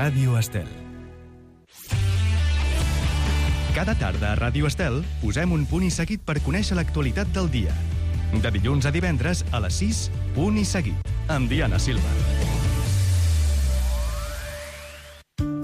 Ràdio Estel. Cada tarda a Ràdio Estel posem un punt i seguit per conèixer l'actualitat del dia. De dilluns a divendres a les 6, punt i seguit, amb Diana Silva.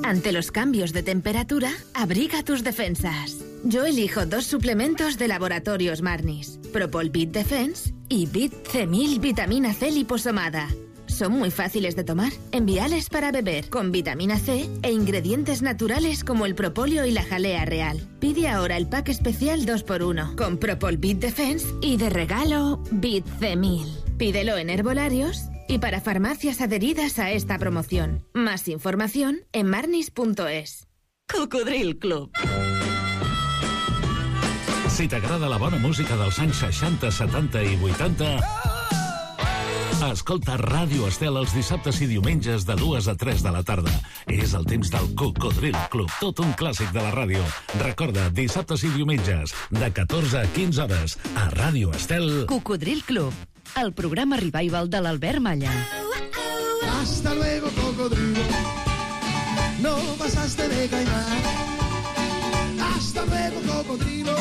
Ante los cambios de temperatura, abriga tus defensas. Yo elijo 2 suplementos de Laboratorios Marnis, Propol Bit Defense y Bit C1000 Vitamina C liposomada. Son muy fáciles de tomar, enviales para beber, con vitamina C e ingredientes naturales como el propóleo y la jalea real. Pide ahora el pack especial 2x1, con Propol Bit Defense y de regalo Bit C1000. Pídelo en herbolarios y para farmacias adheridas a esta promoción. Más información en marnis.es. Cocodril Club. Si t'agrada la bona música dels anys 60, 70 i 80... escolta Ràdio Estel els dissabtes i diumenges de 2 a 3 de la tarda. És el temps del Cocodril Club, tot un clàssic de la ràdio. Recorda, dissabtes i diumenges, de 14 a 15 hores, a Ràdio Estel. Cocodril Club, el programa revival de l'Albert Malla. Hasta luego, cocodrilo. No pasaste de caimán. Hasta luego, cocodrilo.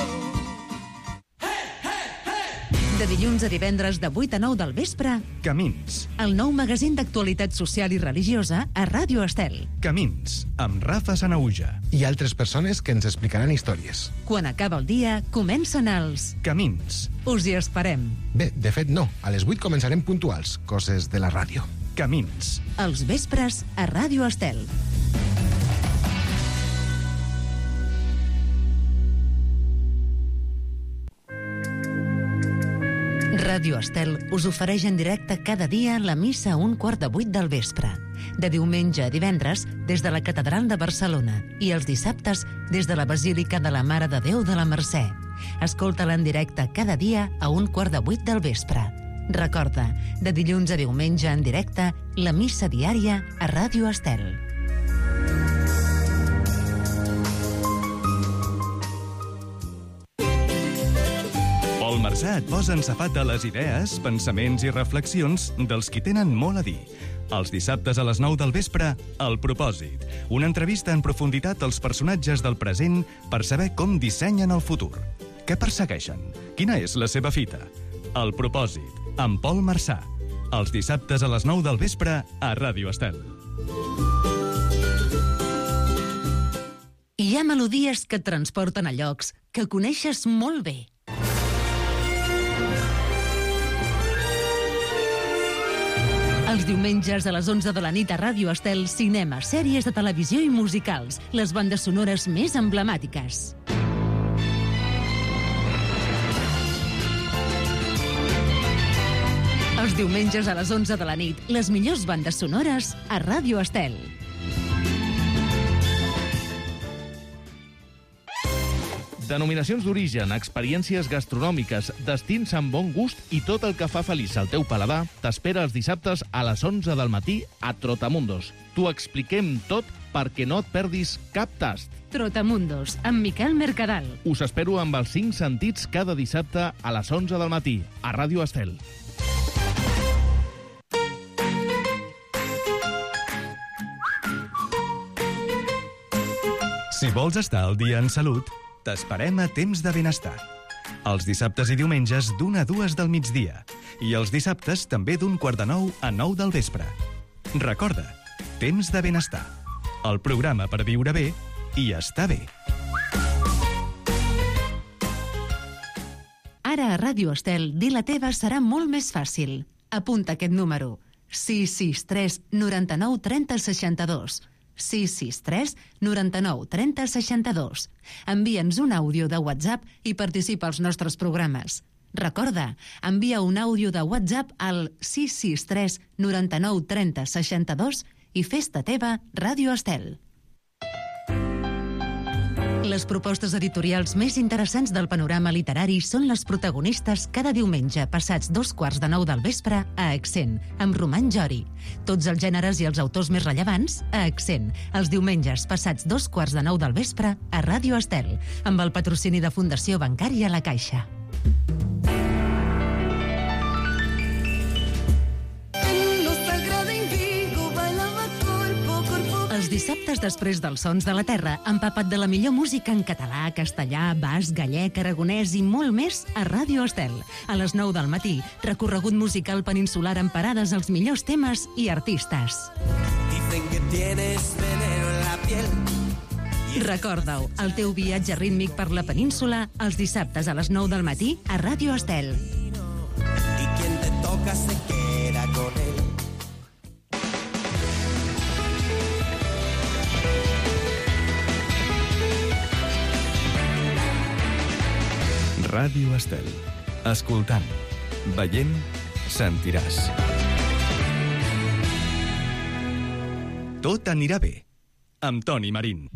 De dilluns a divendres de 8 a 9 del vespre, Camins. el nou magazín d'actualitat social i religiosa a Ràdio Estel. Camins, amb Rafa Sanauja. I altres persones que ens explicaran històries. Quan acaba el dia, comencen els... Camins. Us hi esperem. Bé, de fet no, a les 8 començarem puntuals, coses de la ràdio. Camins. Els vespres a Ràdio Estel. Ràdio Estel us ofereix en directe cada dia la missa a 7:15 del vespre. De diumenge a divendres, des de la Catedral de Barcelona, i els dissabtes, des de la Basílica de la Mare de Déu de la Mercè. Escolta-la en directe cada dia a 7:15 del vespre. Recorda, de dilluns a diumenge en directe, la missa diària a Ràdio Estel. Pol Marsà et posa en safat de les idees, pensaments i reflexions dels qui tenen molt a dir. Els dissabtes a les 9 del vespre, El Propòsit. Una entrevista en profunditat als personatges del present per saber com dissenyen el futur. Què persegueixen? Quina és la seva fita? El Propòsit, amb Pol Marsà. Els dissabtes a les 9 del vespre a Ràdio Estel. Hi ha melodies que et transporten a llocs que coneixes molt bé. Els diumenges a les 11 de la nit a Ràdio Estel, cinema, sèries de televisió i musicals, les bandes sonores més emblemàtiques. Els diumenges a les 11 de la nit, les millors bandes sonores a Ràdio Estel. Denominacions d'origen, experiències gastronòmiques, destins amb bon gust i tot el que fa feliç al teu paladar t'espera els dissabtes a les 11 del matí a Trotamundos. T'ho expliquem tot perquè no et perdis cap tast. Trotamundos, amb Miquel Mercadal. Us espero amb els 5 sentits cada dissabte a les 11 del matí a Ràdio Estel. Si vols estar al dia en salut, t'esperem a Temps de Benestar. Els dissabtes i diumenges d'1 a 2 del migdia. I els dissabtes també d'8:45 a 9 del vespre. Recorda, Temps de Benestar. El programa per viure bé i estar bé. Ara a Ràdio Estel, dir la teva serà molt més fàcil. Apunta aquest número. 663 99 30 62. 663 99 30 62. Envia'ns un àudio de WhatsApp i participa als nostres programes. Recorda, envia un àudio de WhatsApp al 663 99 30 62 i fes-te teva Ràdio Estel. Les propostes editorials més interessants del panorama literari són les protagonistes cada diumenge passats 8:15 del vespre a Accent, amb Roman Jori. Tots els gèneres i els autors més rellevants a Accent, els diumenges passats 8:15 del vespre a Ràdio Estel, amb el patrocini de Fundació Bancària La Caixa. Els dissabtes després dels sons de la terra, empapat de la millor música en català, castellà, basc, gallec, aragonès i molt més a Ràdio Estel. A les 9 del matí, recorregut musical peninsular amb parades als millors temes i artistes. Dicen que tienes veneno en la piel. Recorda-ho, el teu viatge rítmic per la península els dissabtes a les 9 del matí a Ràdio Estel. Y quien te toca se queda con él. Ràdio Estel. Escoltant, veient, sentiràs. Tot anirà bé. Amb Toni Marín.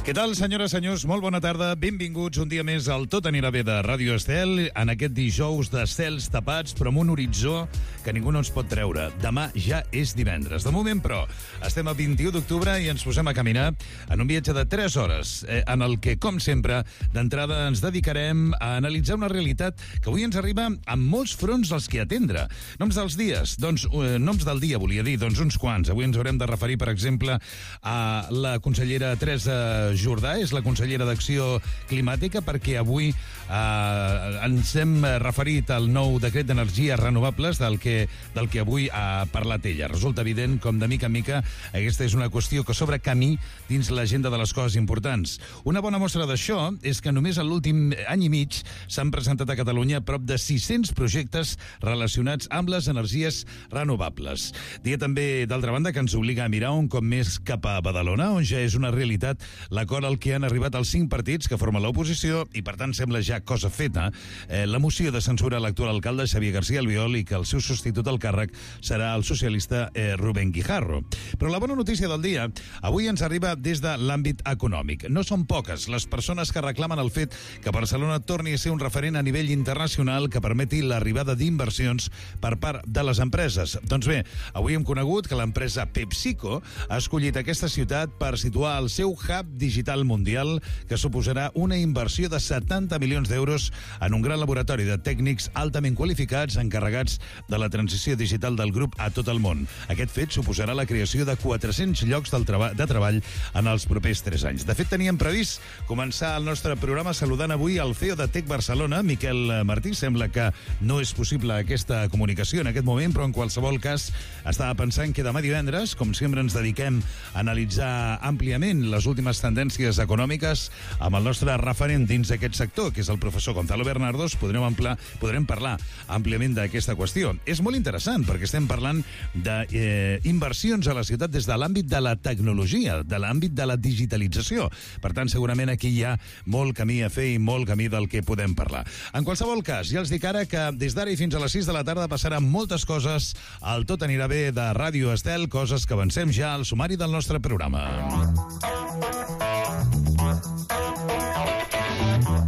Què tal, senyores, senyors? Molt bona tarda. Benvinguts un dia més al Tot anirà bé de Ràdio Estel, en aquest dijous de cels tapats, però amb un horitzó que ningú no ens pot treure. Demà ja és divendres. De moment, però, estem a 21 d'octubre i ens posem a caminar en un viatge de 3 hores, en el que, com sempre, d'entrada ens dedicarem a analitzar una realitat que avui ens arriba amb molts fronts als que atendre. Noms dels dies, doncs, noms del dia, volia dir, doncs uns quants. Avui ens haurem de referir, per exemple, a la consellera Teresa Jordà, és la consellera d'Acció Climàtica, perquè avui ens hem referit al nou decret d'energies renovables del que avui ha parlat ella. Resulta evident com de mica en mica aquesta és una qüestió que s'obre camí dins l'agenda de les coses importants. Una bona mostra d'això és que només en l'últim any i mig s'han presentat a Catalunya prop de 600 projectes relacionats amb les energies renovables. Dia també, d'altra banda, que ens obliga a mirar un cop més cap a Badalona, on ja és una realitat l'acord al que han arribat els 5 partits que formen l'oposició i, per tant, sembla ja cosa feta la moció de censura a l'actual alcalde Xavier García Albiol i que el seu substitut al càrrec serà el socialista Rubén Guijarro. Però la bona notícia del dia avui ens arriba des de l'àmbit econòmic. No són poques les persones que reclamen el fet que Barcelona torni a ser un referent a nivell internacional que permeti l'arribada d'inversions per part de les empreses. Doncs bé, avui hem conegut que l'empresa PepsiCo ha escollit aquesta ciutat per situar el seu hub digital mundial que suposarà una inversió de 70 milions d'euros en un gran laboratori de tècnics altament qualificats encarregats de la transició digital del grup a tot el món. Aquest fet suposarà la creació de 400 llocs de treball en els propers 3 anys. De fet, teníem previst començar el nostre programa saludant avui el CEO de Tec Barcelona, Miquel Martí. Sembla que no és possible aquesta comunicació en aquest moment, però en qualsevol cas estava pensant que demà divendres, com sempre ens dediquem a analitzar àmpliament les últimes tendències econòmiques amb el nostre referent dins d'aquest sector, que és el professor Gonzalo Bernardos, podrem parlar àmpliament d'aquesta qüestió. És molt interessant perquè estem parlant d'inversions a la ciutat des de l'àmbit de la tecnologia, de l'àmbit de la digitalització. Per tant, segurament aquí hi ha molt camí a fer i molt camí del que podem parlar. En qualsevol cas, ja els dic ara que des d'ara i fins a les 6 de la tarda passaran moltes coses al Tot anirà bé de Ràdio Estel, coses que avancem ja al sumari del nostre programa.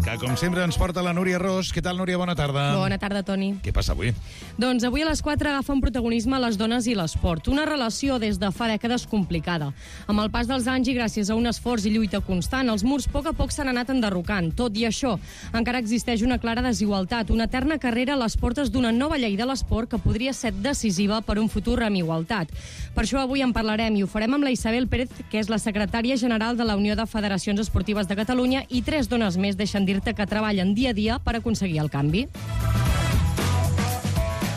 Que, com sempre, ens porta la Núria Ros. Què tal, Núria? Bona tarda. Bona tarda, Toni. Què passa avui? Doncs avui a les 4 agafa un protagonisme les dones i l'esport. Una relació des de fa dècades complicada. Amb el pas dels anys i gràcies a un esforç i lluita constant, els murs a poc s'han anat enderrocant. Tot i això, encara existeix una clara desigualtat, una eterna carrera a les portes d'una nova llei de l'esport que podria ser decisiva per un futur amb igualtat. Per això avui en parlarem i ho farem amb la Isabel Pérez, que és la secretària general de la Unió de Federacions Esportives de Catalunya, i 3 dones més deixen dir-te que treballen dia a dia per aconseguir el canvi.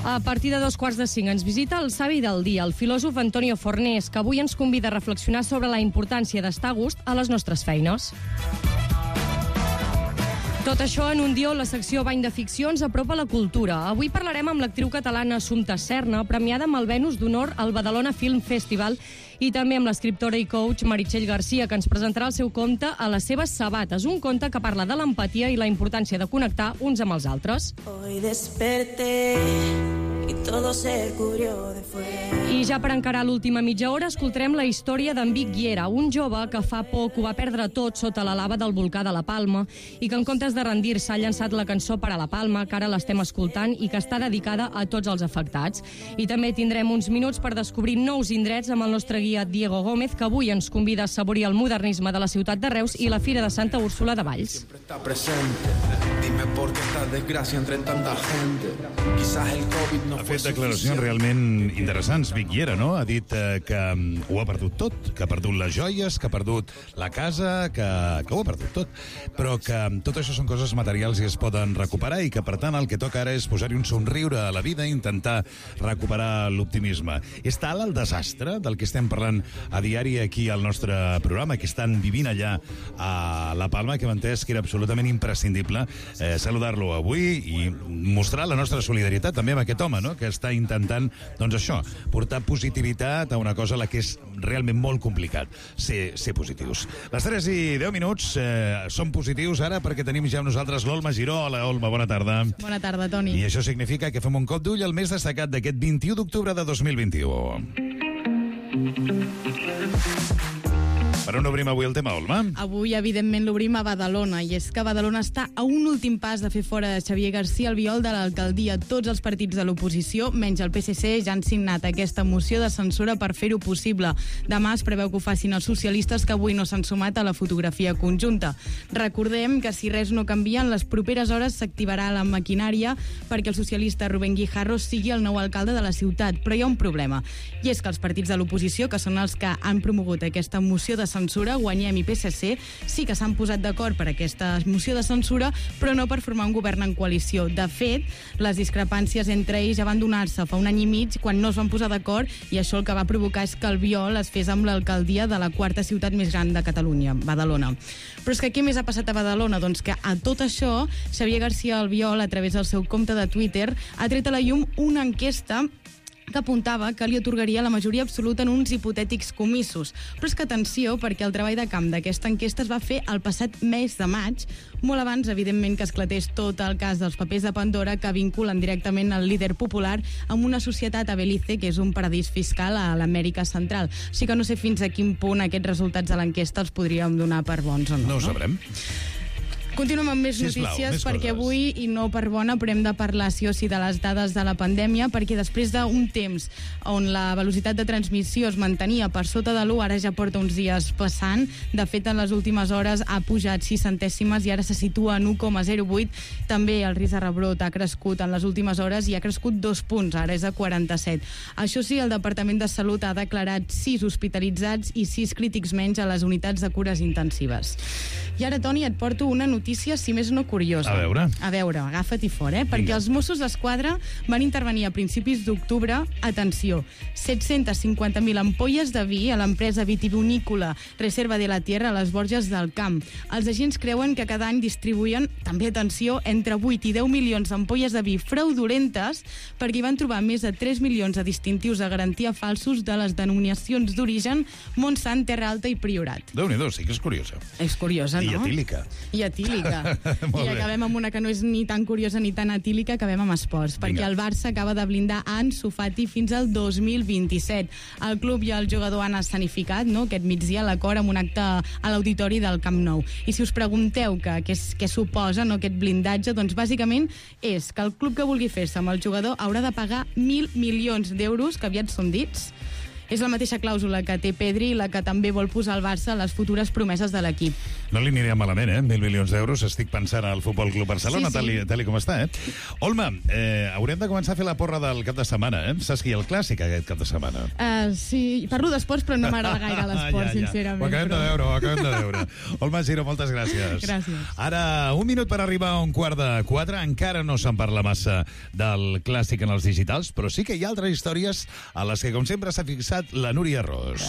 A partir de 4:45 ens visita el savi del dia, el filòsof Antonio Fornés, que avui ens convida a reflexionar sobre la importància d'estar a gust a les nostres feines. Tot això en un dia on la secció Bany de Ficció ens apropa la cultura. Avui parlarem amb l'actriu catalana Assumpta Serna, premiada amb el Venus d'Honor al Badalona Film Festival, i també amb l'escriptora i coach Meritxell Garcia, que ens presentarà el seu conte A les seves sabates, un conte que parla de l'empatia i la importància de connectar uns amb els altres. Hoy desperté y todo se cubrió de fuego. I ja per encarar l'última mitja hora escoltarem la història d'en Vic Guiera, un jove que fa poc ho va perdre tot sota la lava del volcà de la Palma i que en comptes de rendir-se ha llançat la cançó Per a la Palma, que ara l'estem escoltant i que està dedicada a tots els afectats. I també tindrem uns minuts per descobrir nous indrets amb el nostre guia Diego Gómez, que avui ens convida a saborir el modernisme de la ciutat de Reus i la Fira de Santa Úrsula de Valls. Siempre está presente. Dime por qué esta desgracia entre tanta gente. Quizás el COVID no ha fue fet declaracions realment interessants. Vic Llera, no? Ha dit que ho ha perdut tot, que ha perdut les joies, que ha perdut la casa, que ho ha perdut tot. Però que tot això són coses materials i es poden recuperar i que, per tant, el que toca ara és posar-hi un somriure a la vida i intentar recuperar l'optimisme. És tal el desastre del que estem parlant a diari aquí al nostre programa, que estan vivint allà a La Palma, que hem entès que era absolutament imprescindible saludar-lo avui i mostrar la nostra solidaritat també amb aquest home, no?, que està intentant, doncs això, portar positivitat a una cosa a la que és realment molt complicat, ser positius. Les 3:10 som positius ara perquè tenim ja amb nosaltres l'Olma Giró. Hola, Olma, bona tarda. Bona tarda, Toni. I això significa que fem un cop d'ull al més destacat d'aquest 21 d'octubre de 2021. Per on obrim avui el tema, Olma? Avui, evidentment, l'obrim a Badalona, i és que Badalona està a un últim pas de fer fora de Xavier García Albiol de l'alcaldia. Tots els partits de l'oposició, menys el PSC, ja han signat aquesta moció de censura per fer-ho possible. Demà es preveu que ho facin els socialistes, que avui no s'han sumat a la fotografia conjunta. Recordem que si res no canvia, en les properes hores s'activarà la maquinària perquè el socialista Rubén Guijarro sigui el nou alcalde de la ciutat. Però hi ha un problema, i és que els partits de l'oposició, que són els que han promogut aquesta moció de censura, Guanyem i PSC, sí que s'han posat d'acord per aquesta moció de censura, però no per formar un govern en coalició. De fet, les discrepàncies entre ells ja van donar-se fa un any i mig, quan no es van posar d'acord, i això el que va provocar és que Albiol es fes amb l'alcaldia de la quarta ciutat més gran de Catalunya, Badalona. Però és que què més ha passat a Badalona? Doncs que a tot això, Xavier García Albiol, a través del seu compte de Twitter, ha tret a la llum una enquesta que apuntava que li atorgaria la majoria absoluta en uns hipotètics comicis. Però és que atenció, perquè el treball de camp d'aquesta enquesta es va fer el passat mes de maig, molt abans, evidentment, que esclatés tot el cas dels papers de Pandora, que vinculen directament el líder popular amb una societat a Belize, que és un paradís fiscal a l'Amèrica Central. Així que no sé fins a quin punt aquests resultats de l'enquesta els podríem donar per bons o no. No ho sabrem. Continuem amb més notícies, més perquè avui, i no per bona, però hem de parlar sí o sí de les dades de la pandèmia, perquè després d'un temps on la velocitat de transmissió es mantenia per sota de l'1, ara ja porta uns dies passant. De fet, en les últimes hores ha pujat 6 centèsimes i ara se situa en 1,08. També el risc de rebrot ha crescut en les últimes hores i ha crescut 2 punts, ara és a 47. Això sí, el Departament de Salut ha declarat 6 hospitalitzats i 6 crítics menys a les unitats de cures intensives. I ara, Toni, et porto una notícia, si més no curiosa. A veure, agafa't-hi fort, perquè els Mossos d'Esquadra van intervenir a principis d'octubre, atenció, 750.000 ampolles de vi a l'empresa vitivinícola Reserva de la Tierra a les Borges del Camp. Els agents creuen que cada any distribuïen, també atenció, entre 8 i 10 milions d'ampolles de vi fraudulentes, perquè hi van trobar més de 3 milions de distintius de garantia falsos de les denominacions d'origen Montsant, Terra Alta i Priorat. Déu-n'hi-do, sí que és curiosa. És curiosa, no? I etílica. I etílica. I acabem amb una que no és ni tan curiosa ni tan etílica, acabem amb esports, perquè el Barça acaba de blindar Ansu Fati fins al 2027. El club i el jugador han escenificat, no?, aquest migdia l'acord amb un acte a l'auditori del Camp Nou. I si us pregunteu què suposa, no, aquest blindatge, doncs bàsicament és que el club que vulgui fer-se amb el jugador haurà de pagar 1.000 milions d'euros, que aviat són dits. És la mateixa clàusula que té Pedri, la que també vol posar al Barça a les futures promeses de l'equip. No li aniria malament, 1.000 milions d'euros. Estic pensant al Futbol Club Barcelona, sí. Tal com està, Olma, haurem de començar a fer la porra del cap de setmana, Saps qui hi ha el clàssic aquest cap de setmana? Sí, parlo d'esports, però no m'agrada gaire l'esport, sincerament. Ho acabem de veure. Olma Giró, moltes gràcies. Gràcies. Ara, 1 minut per arribar a 3:15. Encara no se'n parla massa del clàssic en els digitals, però sí que hi ha altres històries a les que, com sempre, s'ha fixat la Núria Ros.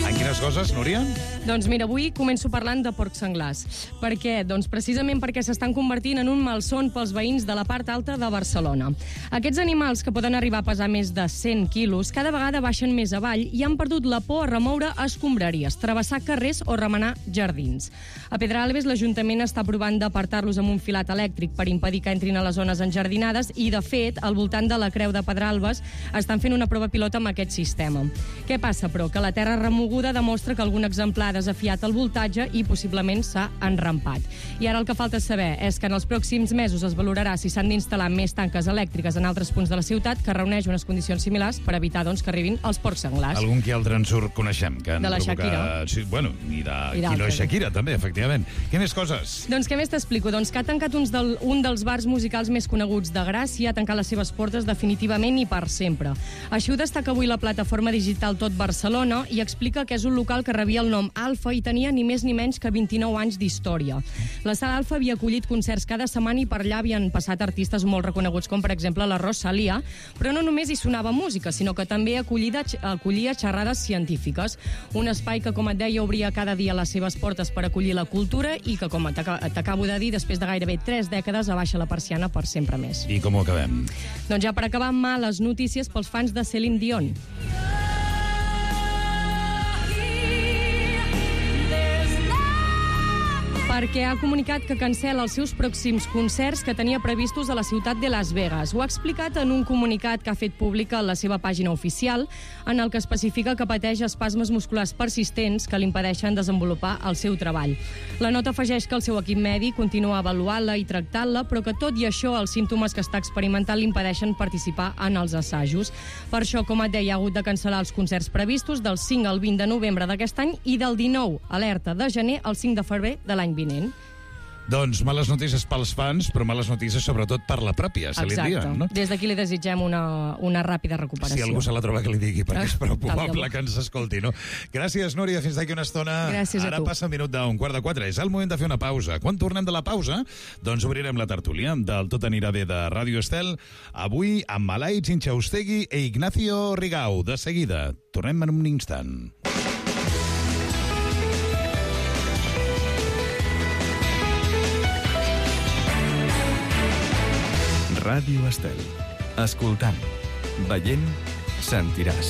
En quines coses, Núria? Doncs mira, avui començo parlant de porcs senglars. Per què? Doncs precisament perquè s'estan convertint en un malson pels veïns de la part alta de Barcelona. Aquests animals, que poden arribar a pesar més de 100 quilos, cada vegada baixen més avall i han perdut la por a remoure escombraries, travessar carrers o remenar jardins. A Pedralbes, l'Ajuntament està provant d'apartar-los amb un filat elèctric per impedir que entrin a les zones enjardinades i, de fet, al voltant de la Creu de Pedralbes estan fent una prova pilota amb aquest sistema. Què passa, però? Que la terra remoguda de demostra que algun exemplar ha desafiat el voltatge i possiblement s'ha enrampat. I ara el que falta saber és que en els pròxims mesos es valorarà si s'han d'instal·lar més tanques elèctriques en altres punts de la ciutat, que reuneix unes condicions similars per evitar que arribin els porcs senglars. Algun que altre en surt coneixem. Que de la Shakira. Sí, bueno, i de qui no és Shakira, també, efectivament. Què més coses? Doncs què més t'explico? Doncs que ha tancat un dels bars musicals més coneguts de Gràcia, ha tancat les seves portes definitivament i per sempre. Així ho destaca avui la plataforma digital Tot Barcelona i explica que és un local que rebia el nom Alfa i tenia ni més ni menys que 29 anys d'història. La sala Alfa havia acollit concerts cada setmana i per allà havien passat artistes molt reconeguts, com per exemple la Rosalía, però no només hi sonava música, sinó que també acollia xerrades científiques. Un espai que, com et deia, obria cada dia les seves portes per acollir la cultura i que, com t'acabo de dir, després de gairebé 3 dècades abaixa la persiana per sempre més. I com ho acabem? Doncs ja per acabar, males notícies pels fans de Céline Dion. Perquè ha comunicat que cancela els seus pròxims concerts que tenia previstos a la ciutat de Las Vegas. Ho ha explicat en un comunicat que ha fet pública a la seva pàgina oficial, en el que especifica que pateix espasmes musculars persistents que li impedeixen desenvolupar el seu treball. La nota afegeix que el seu equip mèdic continua avaluant-la i tractant-la, però que tot i això els símptomes que està experimentant li impedeixen participar en els assajos. Per això, com et deia, ha hagut de cancel·lar els concerts previstos del 5 al 20 de novembre d'aquest any i del 19, alerta, de gener al 5 de febrer de l'any vinent. Doncs males notícies pels fans, però males notícies sobretot per la pròpia Céline Dion, no? Des d'aquí li desitgem una ràpida recuperació. Si algú se la troba que li digui, perquè és prou probable que ens escolti, no? Gràcies, Núria, fins d'aquí una estona. Gràcies a tu. Ara passa un minut d'un quart de 4. És el moment de fer una pausa. Quan tornem de la pausa, doncs obrirem la tertúlia del Tot anirà bé de Ràdio Estel, avui amb Alaitz Inchaustegui e Ignacio Rigau. De seguida. Tornem en un instant. Ràdio Estel. Escoltant, veient, sentiràs.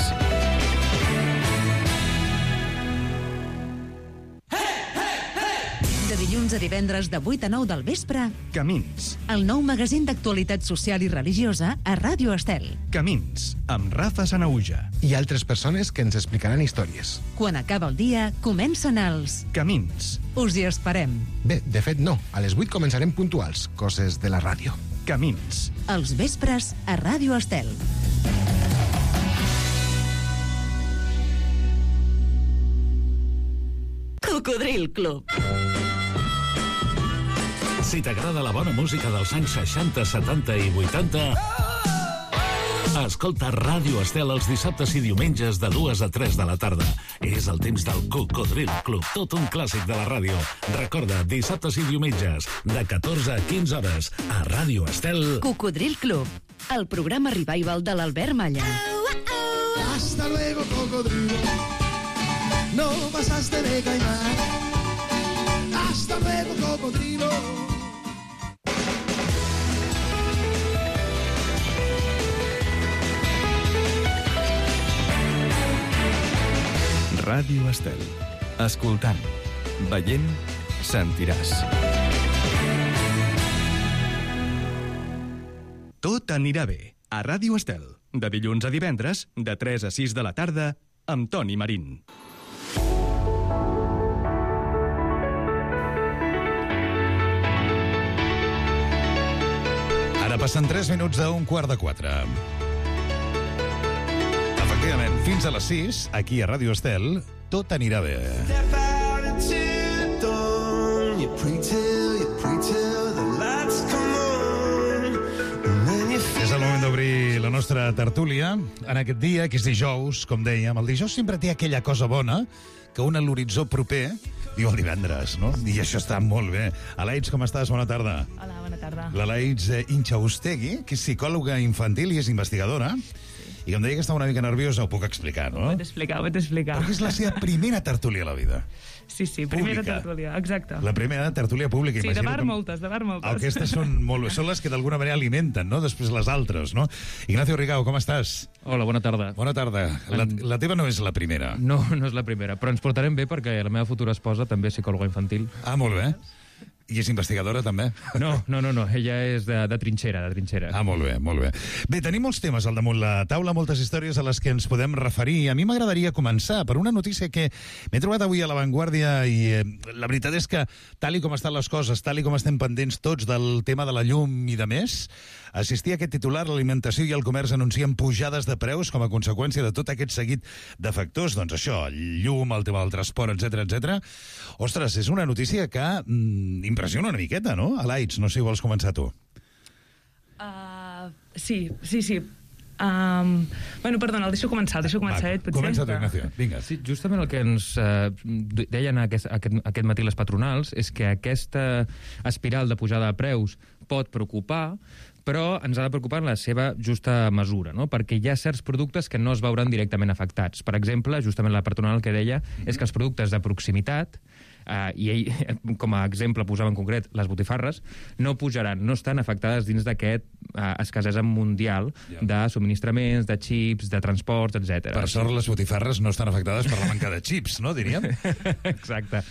De dilluns a divendres de 8 a 9 del vespre, Camins. el nou magazín d'actualitat social i religiosa a Ràdio Estel. Camins, amb Rafa Sanauja. I altres persones que ens explicaran històries. Quan acaba el dia, comencen els Camins. Us hi esperem. Bé, de fet no. A les 8 començarem puntuals. Coses de la ràdio. Camins. Els vespres a Ràdio Estel. Cocodril Club. Si t'agrada la bona música dels anys 60, 70 i 80... Escolta Ràdio Estel els dissabtes i diumenges de 2 a 3 de la tarda. És el temps del Cocodril Club, tot un clàssic de la ràdio. Recorda, dissabtes i diumenges, de 14 a 15 hores, a Ràdio Estel. Cocodril Club, el programa revival de l'Albert Malla. Hasta luego, cocodrilo. No pasaste de caimán. Hasta luego, cocodrilo. Ràdio Estel. Escoltant, veient, sentiràs. Tot anirà bé. A Ràdio Estel. De dilluns a divendres, de 3 a 6 de la tarda, amb Toni Marín. Ara passen 3 minuts d'un quart de 4. Efectivament, fins a les 6, aquí a Ràdio Estel, tot anirà bé. És el moment d'obrir la nostra tertúlia en aquest dia, que és dijous, com dèiem. El dijous sempre té aquella cosa bona que un a l'horitzó proper diu el divendres, no? I això està molt bé. Alaitz, com estàs? Bona tarda. Hola, bona tarda. L'Alaitz Inchaustegui, que és psicòloga infantil i és investigadora. I com deia que estava una mica nerviosa, ho puc explicar, no? Ho he d'explicar. Perquè és la seva primera tertúlia a la vida. Sí, primera Pública. tertúlia, exacte. La primera tertúlia pública. Sí, de Imagino bar que moltes, de bar moltes. Aquestes són les que d'alguna manera alimenten, no? Després les altres, no? Ignacio Rigau, com estàs? Hola, bona tarda. Bona tarda. La teva no és la primera. No, no és la primera, però ens portarem bé perquè la meva futura esposa també és psicòloga infantil. Ah, molt bé. I és investigadora, també? No, ella és de trinxera, Ah, molt bé, molt bé. Bé, tenim molts temes al damunt la taula, moltes històries a les que ens podem referir. A mi m'agradaria començar per una notícia que m'he trobat avui a La Vanguardia i la veritat és que, tal i com estan les coses, tal i com estem pendents tots del tema de la llum i de més, assistir a aquest titular, l'alimentació i el comerç anuncien pujades de preus com a conseqüència de tot aquest seguit de factors. Doncs això, el llum, el tema del transport, etc. Ostres, és una notícia que impressiona una miqueta, no? Alaitz, no sé si vols començar tu. Sí. Bueno, perdona, el deixo començar, potser. Comença tu, Ignacio, vinga. Sí, justament el que ens deien aquest matí les patronals és que aquesta espiral de pujada de preus pot preocupar, però ens ha de preocupar en la seva justa mesura, no? Perquè hi ha certs productes que no es veuran directament afectats. Per exemple, justament la patronal que deia és que els productes de proximitat, i ell, com a exemple, posava en concret les botifarres, no pujaran, no estan afectades dins d'aquest escassesa mundial de subministraments, de xips, de transports, etc. Per sort, les botifarres no estan afectades per la manca de xips, no, diríem? Exacte.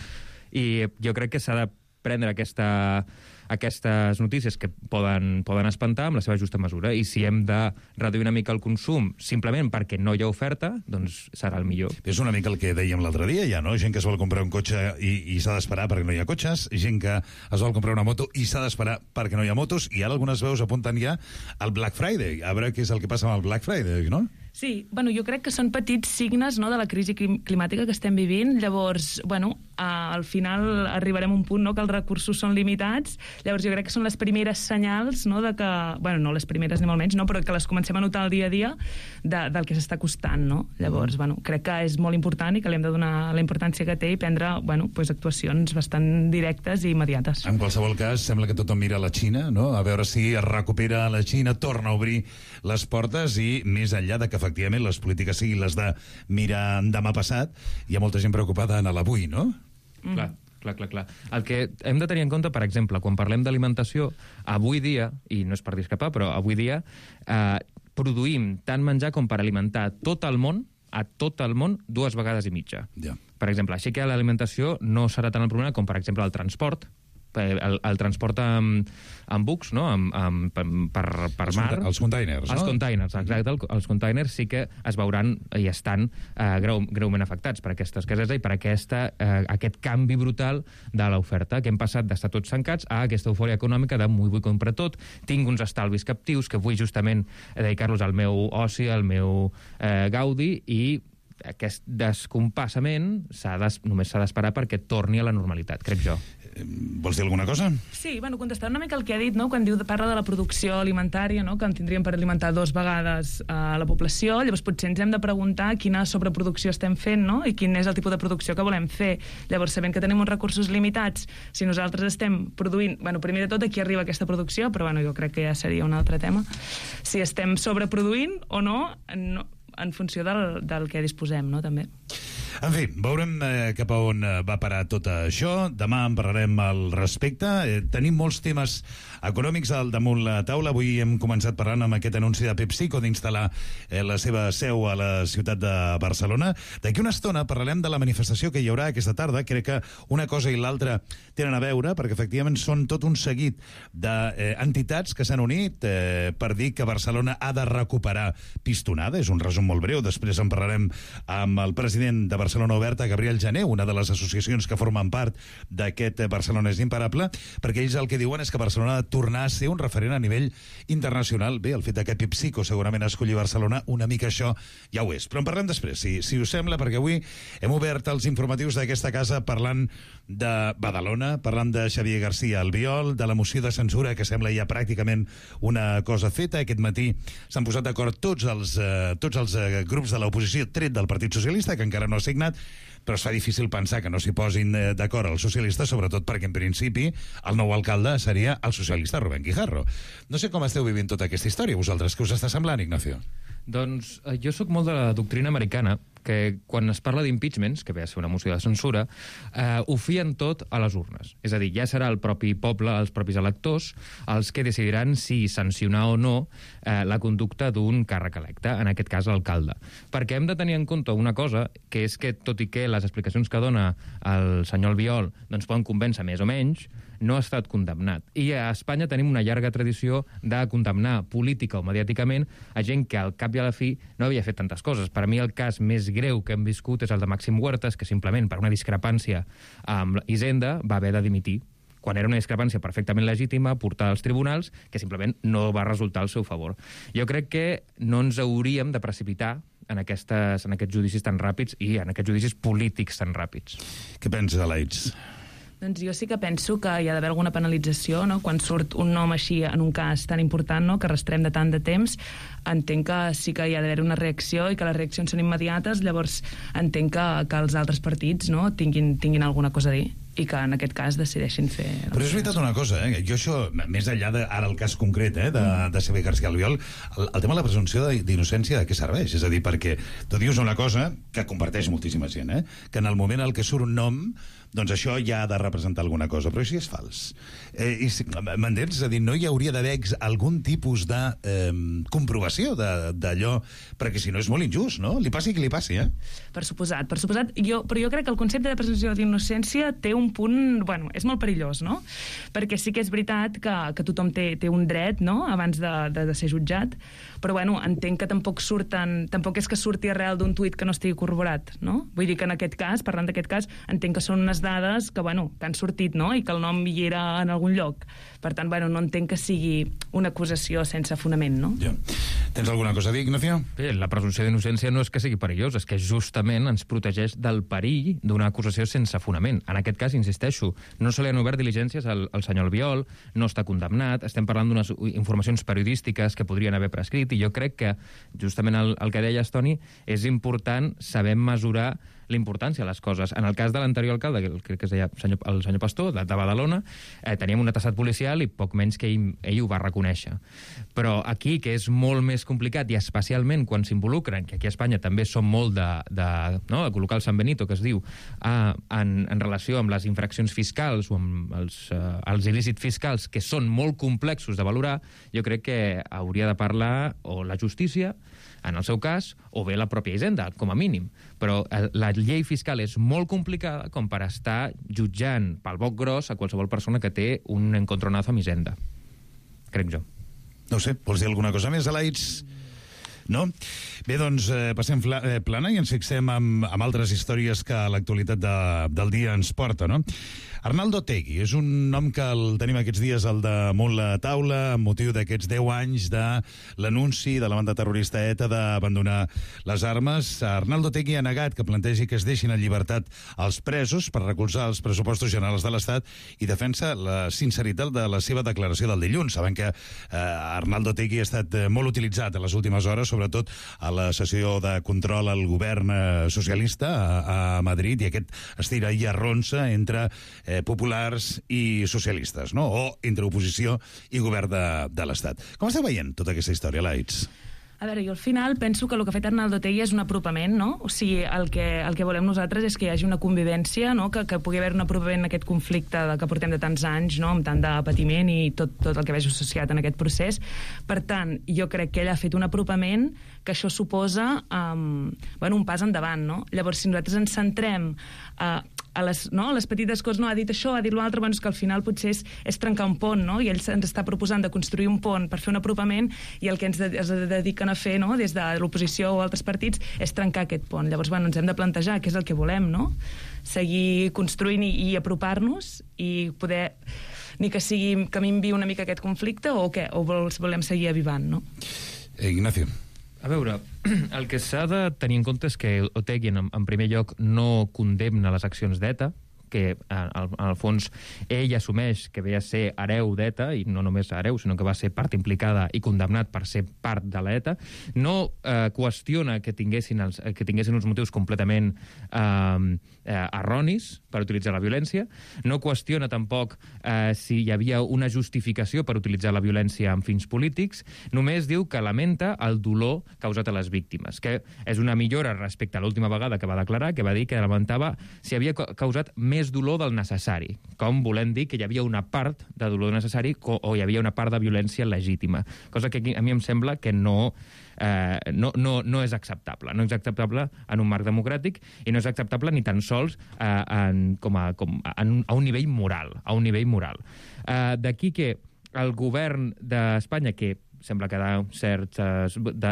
I jo crec que s'ha de prendre aquestes notícies que poden espantar amb la seva justa mesura, i si hem de reduir una mica el consum simplement perquè no hi ha oferta, doncs serà el millor. És una mica el que dèiem l'altre dia, ja, no? Gent que es vol comprar un cotxe i s'ha d'esperar perquè no hi ha cotxes, gent que es vol comprar una moto i s'ha d'esperar perquè no hi ha motos, i ara algunes veus apunten ja al Black Friday. A veure què és el que passa amb el Black Friday, no? Sí, bueno, jo crec que són petits signes, no, de la crisi climàtica que estem vivint. Llavors, bueno, al final arribarem a un punt, no, que els recursos són limitats. Llavors jo crec que són les primeres senyals, no, de que, bueno, no les primeres ni molt menys, no, però que les comencem a notar el dia a dia del que s'està costant, no? Llavors, bueno, crec que és molt important i que li hem de donar la importància que té i prendre, bueno, pues, actuacions bastant directes i immediates. En qualsevol cas, sembla que tothom mira a la Xina, no? A veure si es recupera la Xina, torna a obrir les portes, i més enllà de que efectivament les polítiques siguin les de mirar demà passat, hi ha molta gent preocupada en l'avui, no? Clar. El que hem de tenir en compte, per exemple, quan parlem d'alimentació, avui dia, i no és per discrepar, però avui dia produïm tant menjar com per alimentar tot el món, 2 vegades i mitja. Ja. Per exemple, així que l'alimentació no serà tant el problema com, per exemple, el transport. El transport amb bucs, no? per mar. Els containers, no? Els containers, exacte. Els containers sí que es veuran i estan greument afectats per aquesta escassesa i per aquest canvi brutal de l'oferta, que hem passat d'estar tots tancats a aquesta eufòria econòmica de vull comprar tot, tinc uns estalvis captius que vull justament dedicar-los al meu oci, al meu gaudi, i aquest descompassament només s'ha d'esperar perquè torni a la normalitat, crec jo. Vols dir alguna cosa? Sí, bueno, contestar una mica el que ha dit, no?, quan parla de la producció alimentària, no?, que en tindríem per alimentar 2 vegades a la població. Llavors potser ens hem de preguntar quina sobreproducció estem fent, no?, i quin és el tipus de producció que volem fer. Llavors, sabent que tenim uns recursos limitats, si nosaltres estem produint... Bueno, primer de tot, aquí arriba aquesta producció, però bueno, jo crec que ja seria un altre tema. Si estem sobreproduint o no, en funció del que disposem, no?, també. En fi, veurem cap a on va parar tot això. Demà en parlarem al respecte. Tenim molts temes econòmics al damunt la taula. Avui hem començat parlant amb aquest anunci de PepsiCo d'instal·lar la seva seu a la ciutat de Barcelona. D'aquí una estona parlarem de la manifestació que hi haurà aquesta tarda. Crec que una cosa i l'altra tenen a veure, perquè efectivament són tot un seguit d'entitats que s'han unit per dir que Barcelona ha de recuperar Pistonada. És un resum molt breu. Després en parlarem amb el president de Barcelona Oberta, Gabriel Jané, una de les associacions que formen part d'aquest Barcelona és imparable, perquè ells el que diuen és que Barcelona ha de tornar a ser un referent a nivell internacional. Bé, el fet que PepsiCo segurament escolli Barcelona, una mica això ja ho és. Però en parlem després, si us sembla, perquè avui hem obert els informatius d'aquesta casa parlant de Badalona, parlant de Xavier García Albiol, de la moció de censura, que sembla ja pràcticament una cosa feta. Aquest matí s'han posat d'acord tots els grups de l'oposició, tret del Partit Socialista, que encara no ha signat, però es fa difícil pensar que no s'hi posin d'acord els socialistes, sobretot perquè, en principi, el nou alcalde seria el socialista Rubén Guijarro. No sé com esteu vivint tota aquesta història, vosaltres. Què us està semblant, Ignacio? Doncs jo sóc molt de la doctrina americana, que quan es parla d'impeachments, que ve a ser una moció de censura, ho fien tot a les urnes. És a dir, ja serà el propi poble, els propis electors, els que decidiran si sancionar o no la conducta d'un càrrec electe, en aquest cas l'alcalde. Perquè hem de tenir en compte una cosa, que és que, tot i que les explicacions que dona el senyor Albiol doncs poden convèncer més o menys, no ha estat condemnat. I a Espanya tenim una llarga tradició de condemnar política o mediàticament a gent que al cap i a la fi no havia fet tantes coses. Per a mi el cas més greu que hem viscut és el de Màxim Huertas, que simplement per una discrepància amb Hisenda va haver de dimitir, quan era una discrepància perfectament legítima, portada als tribunals, que simplement no va resultar al seu favor. Jo crec que no ens hauríem de precipitar en aquests judicis tan ràpids i en aquests judicis polítics tan ràpids. Què pensa, Alaitz? Doncs jo sí que penso que hi ha d'haver alguna penalització, no? Quan surt un nom així en un cas tan important, no?, que arrastrem de tant de temps, entenc que sí que hi ha d'haver una reacció i que les reaccions són immediates, llavors entenc que els altres partits, no?, tinguin alguna cosa a dir i que en aquest cas decideixin fer... Però és veritat una cosa, jo això, més enllà ara el cas concret de Xavier García Albiol, el tema de la presumpció d'innocència de què serveix? És a dir, perquè tu dius una cosa que comparteix moltíssima gent, que en el moment en què surt un nom, doncs això ja ha de representar alguna cosa, però això és fals. M'entens? És a dir, no hi hauria d'haver algun tipus de comprovació d'allò, perquè si no és molt injust, no? Li passi qui li passi, Per suposat. Però jo crec que el concepte de presumpció d'innocència té un punt... Bueno, és molt perillós, no? Perquè sí que és veritat que tothom té un dret, no?, abans de ser jutjat, però, bueno, entenc que tampoc és que surti arrel d'un tuit que no estigui corroborat, no? Vull dir que en aquest cas, parlant d'aquest cas, entenc que són unes dades que han sortit, no?, i que el nom hi era en algun lloc. Per tant, no entenc que sigui una acusació sense fonament, no? Ja. Tens alguna cosa a dir, Ignacio? Bé, la presumpció d'innocència no és que sigui perillós, és que justament ens protegeix del perill d'una acusació sense fonament. En aquest cas, insisteixo, no se li han obert diligències al senyor Albiol, no està condemnat, estem parlant d'unes informacions periodístiques que podrien haver prescrit, i jo crec que, justament el que deies, Toni, és important saber mesurar l'importància de les coses. En el cas de l'anterior alcalde, que crec que es deia el senyor Pastor, de Badalona, teníem un atassat policial i poc menys que ell ho va reconèixer. Però aquí, que és molt més complicat, i especialment quan s'involucren, que aquí a Espanya també som molt de col·locar el San Benito, que es diu, en relació amb les infraccions fiscals o amb els il·lícits fiscals, que són molt complexos de valorar, jo crec que hauria de parlar o la justícia, en el seu cas, o bé la pròpia Hisenda, com a mínim. Però la llei fiscal és molt complicada com per estar jutjant pel boc gros a qualsevol persona que té un encontronazo amb Hisenda. Crec jo. No sé, vols dir alguna cosa més, Alaitz? No? Bé, doncs passem plana i ens fixem amb altres històries que l'actualitat del dia ens porta, no? Arnaldo Otegi és un nom que el tenim aquests dies al damunt la taula amb motiu d'aquests 10 anys de l'anunci de la banda terrorista ETA d'abandonar les armes. Arnaldo Otegi ha negat que plantegi que es deixin en llibertat els presos per recolzar els pressupostos generals de l'Estat i defensa la sinceritat de la seva declaració del dilluns. Saben que Arnaldo Otegi ha estat molt utilitzat en les últimes hores, sobretot a la sessió de control al govern socialista a Madrid, i aquest estira i arronsa entre populars i socialistes, no? O entre oposició i govern de l'Estat. Com esteu veient tota aquesta història, Alaitz? A veure, jo al final penso que el que ha fet Arnaldo Otegi és un apropament, no? O sigui, el que volem nosaltres és que hi hagi una convivència, no? Que pugui haver un apropament en aquest conflicte que portem de tants anys, no?, amb tant de patiment i tot el que veig associat en aquest procés. Per tant, jo crec que ell ha fet un apropament que això suposa un pas endavant, no? Llavors, si nosaltres ens centrem a les petites coses, no, ha dit això, ha dit l'altre, és que al final potser és trencar un pont, no? I ell ens està proposant de construir un pont per fer un apropament, i el que ens dediquen a fer, no?, des de l'oposició o altres partits, és trencar aquest pont. Llavors, ens hem de plantejar què és el que volem, no? Seguir construint i apropar-nos i poder, ni que minvi una mica aquest conflicte, o què? O volem seguir avivant, no? Ignacio. A veure, el que s'ha de tenir en compte és que Otegi, en primer lloc, no condemna les accions d'ETA, que al fons ell assumeix que ve a ser hereu d'ETA, i no només hereu, sinó que va ser part implicada i condemnat per ser part de l'ETA. No qüestiona que tinguessin uns motius completament erronis per utilitzar la violència, no qüestiona tampoc si hi havia una justificació per utilitzar la violència amb fins polítics, només diu que lamenta el dolor causat a les víctimes, que és una millora respecte a l'última vegada que va declarar, que va dir que lamentava si havia causat més més dolor del necessari, com volem dir que hi havia una part de dolor necessari o hi havia una part de violència legítima, cosa que a mi em sembla que no és acceptable. No és acceptable en un marc democràtic i no és acceptable ni tan sols a un nivell moral. D'aquí que el govern d'Espanya, que sembla que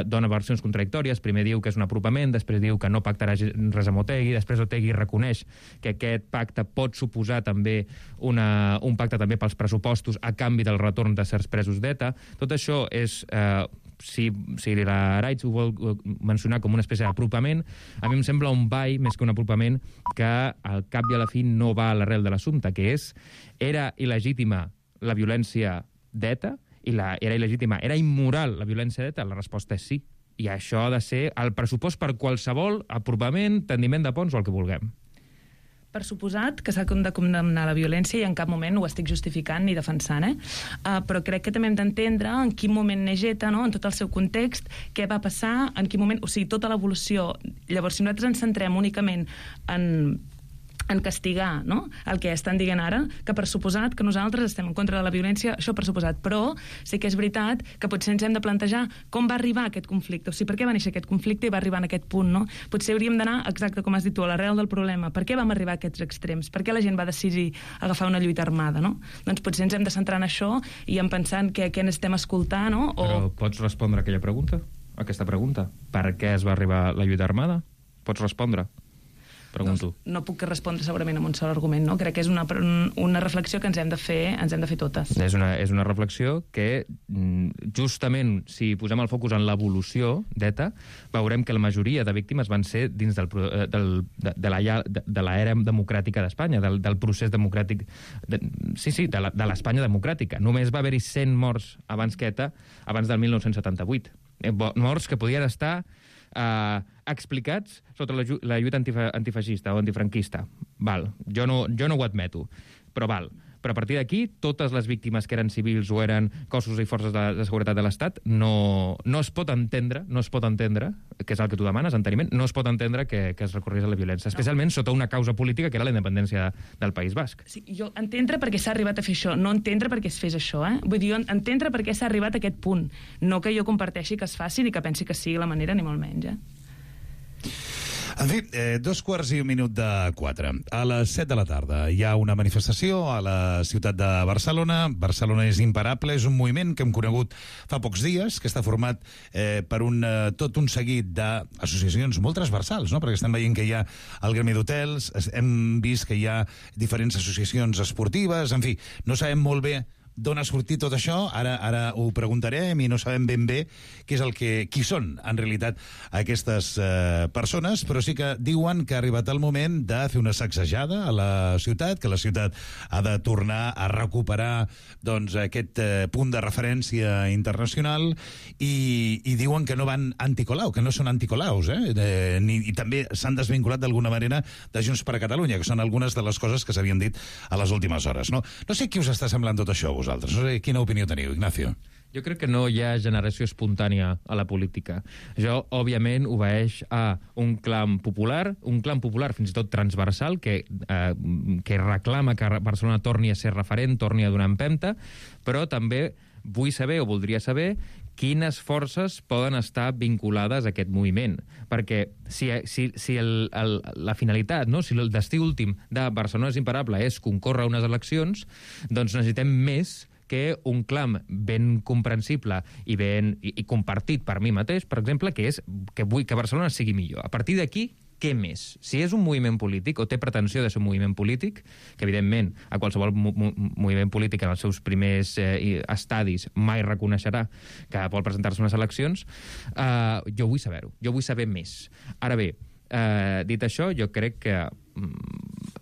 dona versions contradictòries. Primer diu que és un apropament, després diu que no pactarà res amb Otegi, després Otegi reconeix que aquest pacte pot suposar també un pacte també pels pressupostos a canvi del retorn de certs presos d'ETA. Tot això és... Si la Araitz ho vol mencionar com una espècie d'apropament, a mi em sembla un ball més que un apropament que al cap i a la fi no va a l'arrel de l'assumpte, que és era il·legítima la violència d'ETA, era il·legítima, era immoral la violència d'ETA? La resposta és sí. I això ha de ser el pressupost per qualsevol apropament, tendiment de ponts o el que vulguem. Per suposat que s'ha de condemnar la violència i en cap moment ho estic justificant ni defensant, però crec que també hem d'entendre en quin moment neix ETA, no? En tot el seu context, què va passar, en quin moment... O sigui, tota l'evolució. Llavors, si nosaltres ens centrem únicament en castigar, no?, el que estan dient ara, que per suposat que nosaltres estem en contra de la violència, això per suposat, però sí que és veritat que potser ens hem de plantejar com va arribar aquest conflicte, o sigui, per què va néixer aquest conflicte i va arribar en aquest punt, no? Potser hauríem d'anar, exacte com has dit tu, a l'arrel del problema. Per què vam arribar a aquests extrems? Per què la gent va decidir agafar una lluita armada, no? Doncs potser ens hem de centrar en això i en pensant què n'estem escoltant, no? Però pots respondre a aquesta pregunta? Per què es va arribar la lluita armada? Pots respondre? Pregunto. No puc respondre segurament amb un sol argument, no? Crec que és una reflexió que ens hem de fer totes. És una reflexió que, justament, si posem el focus en l'evolució d'ETA, veurem que la majoria de víctimes van ser dins de l'era democràtica d'Espanya, del procés democràtic, de l'Espanya democràtica. Només va haver-hi 100 morts abans que ETA, abans del 1978. Morts que podien estar explicats sota la lluita antifeixista o antifranquista. Jo no ho admeto, però Però a partir d'aquí, totes les víctimes que eren civils o eren cossos i forces de seguretat de l'Estat, no es pot entendre, que és el que tu demanes, enteniment, no es pot entendre que es recorrés a la violència, especialment sota una causa política que era la independència del País Basc. Sí, jo entendre per què s'ha arribat a fer això, no entendre per què es fes això, Vull dir, entendre per què s'ha arribat a aquest punt, no que jo comparteixi que es faci ni que pensi que sigui la manera, ni molt menys, En fi, 3:45. A les 7 de la tarda hi ha una manifestació a la ciutat de Barcelona. Barcelona és imparable, és un moviment que hem conegut fa pocs dies, que està format per tot un seguit d'associacions molt transversals, no? Perquè estem veient que hi ha el Gremi d'Hotels, hem vist que hi ha diferents associacions esportives, en fi, no sabem molt bé d'on ha sortit tot això, ara ho preguntarem i no sabem ben bé qui són en realitat aquestes persones, però sí que diuen que ha arribat el moment de fer una sacsejada a la ciutat, que la ciutat ha de tornar a recuperar doncs, aquest punt de referència internacional i diuen que no van anticolau, que no són anticolaus, i també s'han desvinculat d'alguna manera de Junts per a Catalunya, que són algunes de les coses que s'havien dit a les últimes hores. No sé qui us està semblant tot això, vosaltres. No sé quina opinió teniu, Ignacio. Jo crec que no hi ha generació espontània a la política. Això, òbviament, obeeix a un clam popular fins i tot transversal, que reclama que Barcelona torni a ser referent, torni a donar empenta, però també vull saber, o voldria saber, quines forces poden estar vinculades a aquest moviment. Perquè si la finalitat, no? Si el destí últim de Barcelona és imparable és concórrer a unes eleccions, doncs necessitem més que un clam ben comprensible i compartit per mi mateix, per exemple, que és que vull que Barcelona sigui millor. A partir d'aquí, què més? Si és un moviment polític o té pretensió de ser un moviment polític, que evidentment a qualsevol moviment polític en els seus primers estadis mai reconeixerà que vol presentar-se a unes eleccions, jo vull saber-ho, jo vull saber més. Ara bé, dit això, jo crec que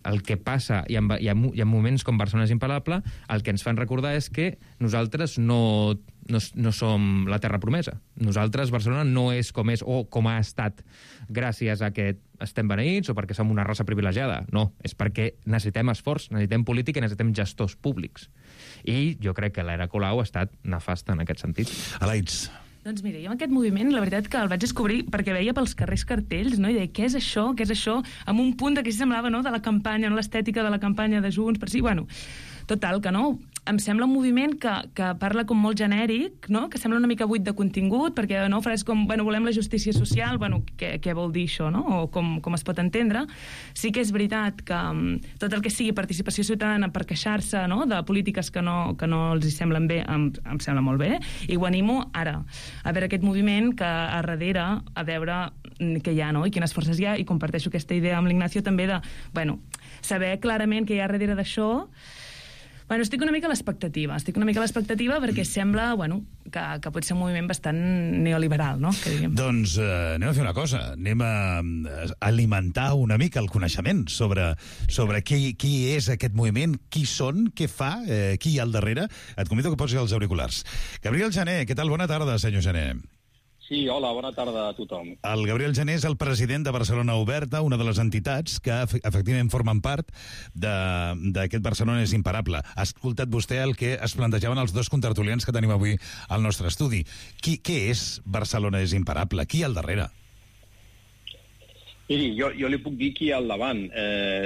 el que passa, i en moments com Barcelona és imparable, el que ens fan recordar és que nosaltres no som la terra promesa. Nosaltres, Barcelona, no és com és o com ha estat gràcies a que estem beneïts o perquè som una raça privilegiada. No, és perquè necessitem esforç, necessitem política i necessitem gestors públics. I jo crec que l'era Colau ha estat nefasta en aquest sentit. Alaitz. Doncs mira, jo en aquest moviment, la veritat que el vaig descobrir perquè veia pels carrers cartells, no? I deia, què és això? Què és això? Amb un punt de que semblava, no?, de la campanya, no?, l'estètica de la campanya de Junts, per si, bueno, total, que no, em sembla un moviment que parla com molt genèric, no?, que sembla una mica buit de contingut, perquè, no, frases com, bueno, volem la justícia social, bueno, què vol dir això, no?, o com es pot entendre. Sí que és veritat que tot el que sigui participació ciutadana per queixar-se, no?, de polítiques que no els hi semblen bé, em sembla molt bé, i ho animo ara, a veure aquest moviment que a darrere, a veure què hi ha, no?, i quines forces hi ha, i comparteixo aquesta idea amb l'Ignacio també de, bueno, saber clarament què hi ha darrere d'això. Bueno, estic una mica a l'expectativa perquè sembla, bueno, que pot ser un moviment bastant neoliberal, no? Que diguem. Doncs anem a fer una cosa, anem a alimentar una mica el coneixement sobre qui és aquest moviment, qui són, què fa, qui hi ha al darrere. Et convido que posis els auriculars. Gabriel Jané, què tal? Bona tarda, senyor Jané. Sí, hola, bona tarda a tothom. El Gabriel Jané és el president de Barcelona Oberta, una de les entitats que efectivament formen part d'aquest Barcelona és imparable. Ha escoltat vostè el que es plantejaven els dos contertulians que tenim avui al nostre estudi. Què és Barcelona és imparable? Qui hi ha al darrere? Miri, jo li puc dir qui hi ha al davant.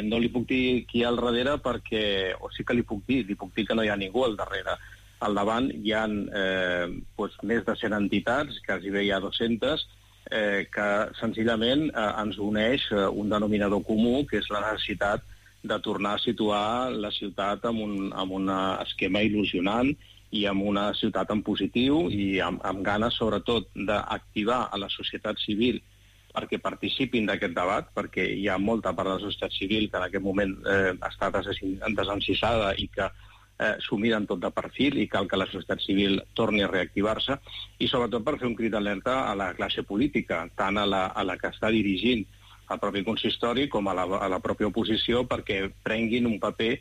No li puc dir qui hi ha al darrere perquè... O sí que li puc dir que no hi ha ningú al darrere. Al davant hi ha més de 100 entitats, quasi bé hi ha 200, que senzillament ens uneix un denominador comú, que és la necessitat de tornar a situar la ciutat en un esquema il·lusionant i en una ciutat en positiu i amb ganes, sobretot, d'activar a la societat civil perquè participin d'aquest debat, perquè hi ha molta part de la societat civil que en aquest moment està desencisada i que s'ho miren tot de perfil i cal que la societat civil torni a reactivar-se i sobretot per fer un crit d'alerta a la classe política, tant a la que està dirigint el propi consistori com a la pròpia oposició perquè prenguin un paper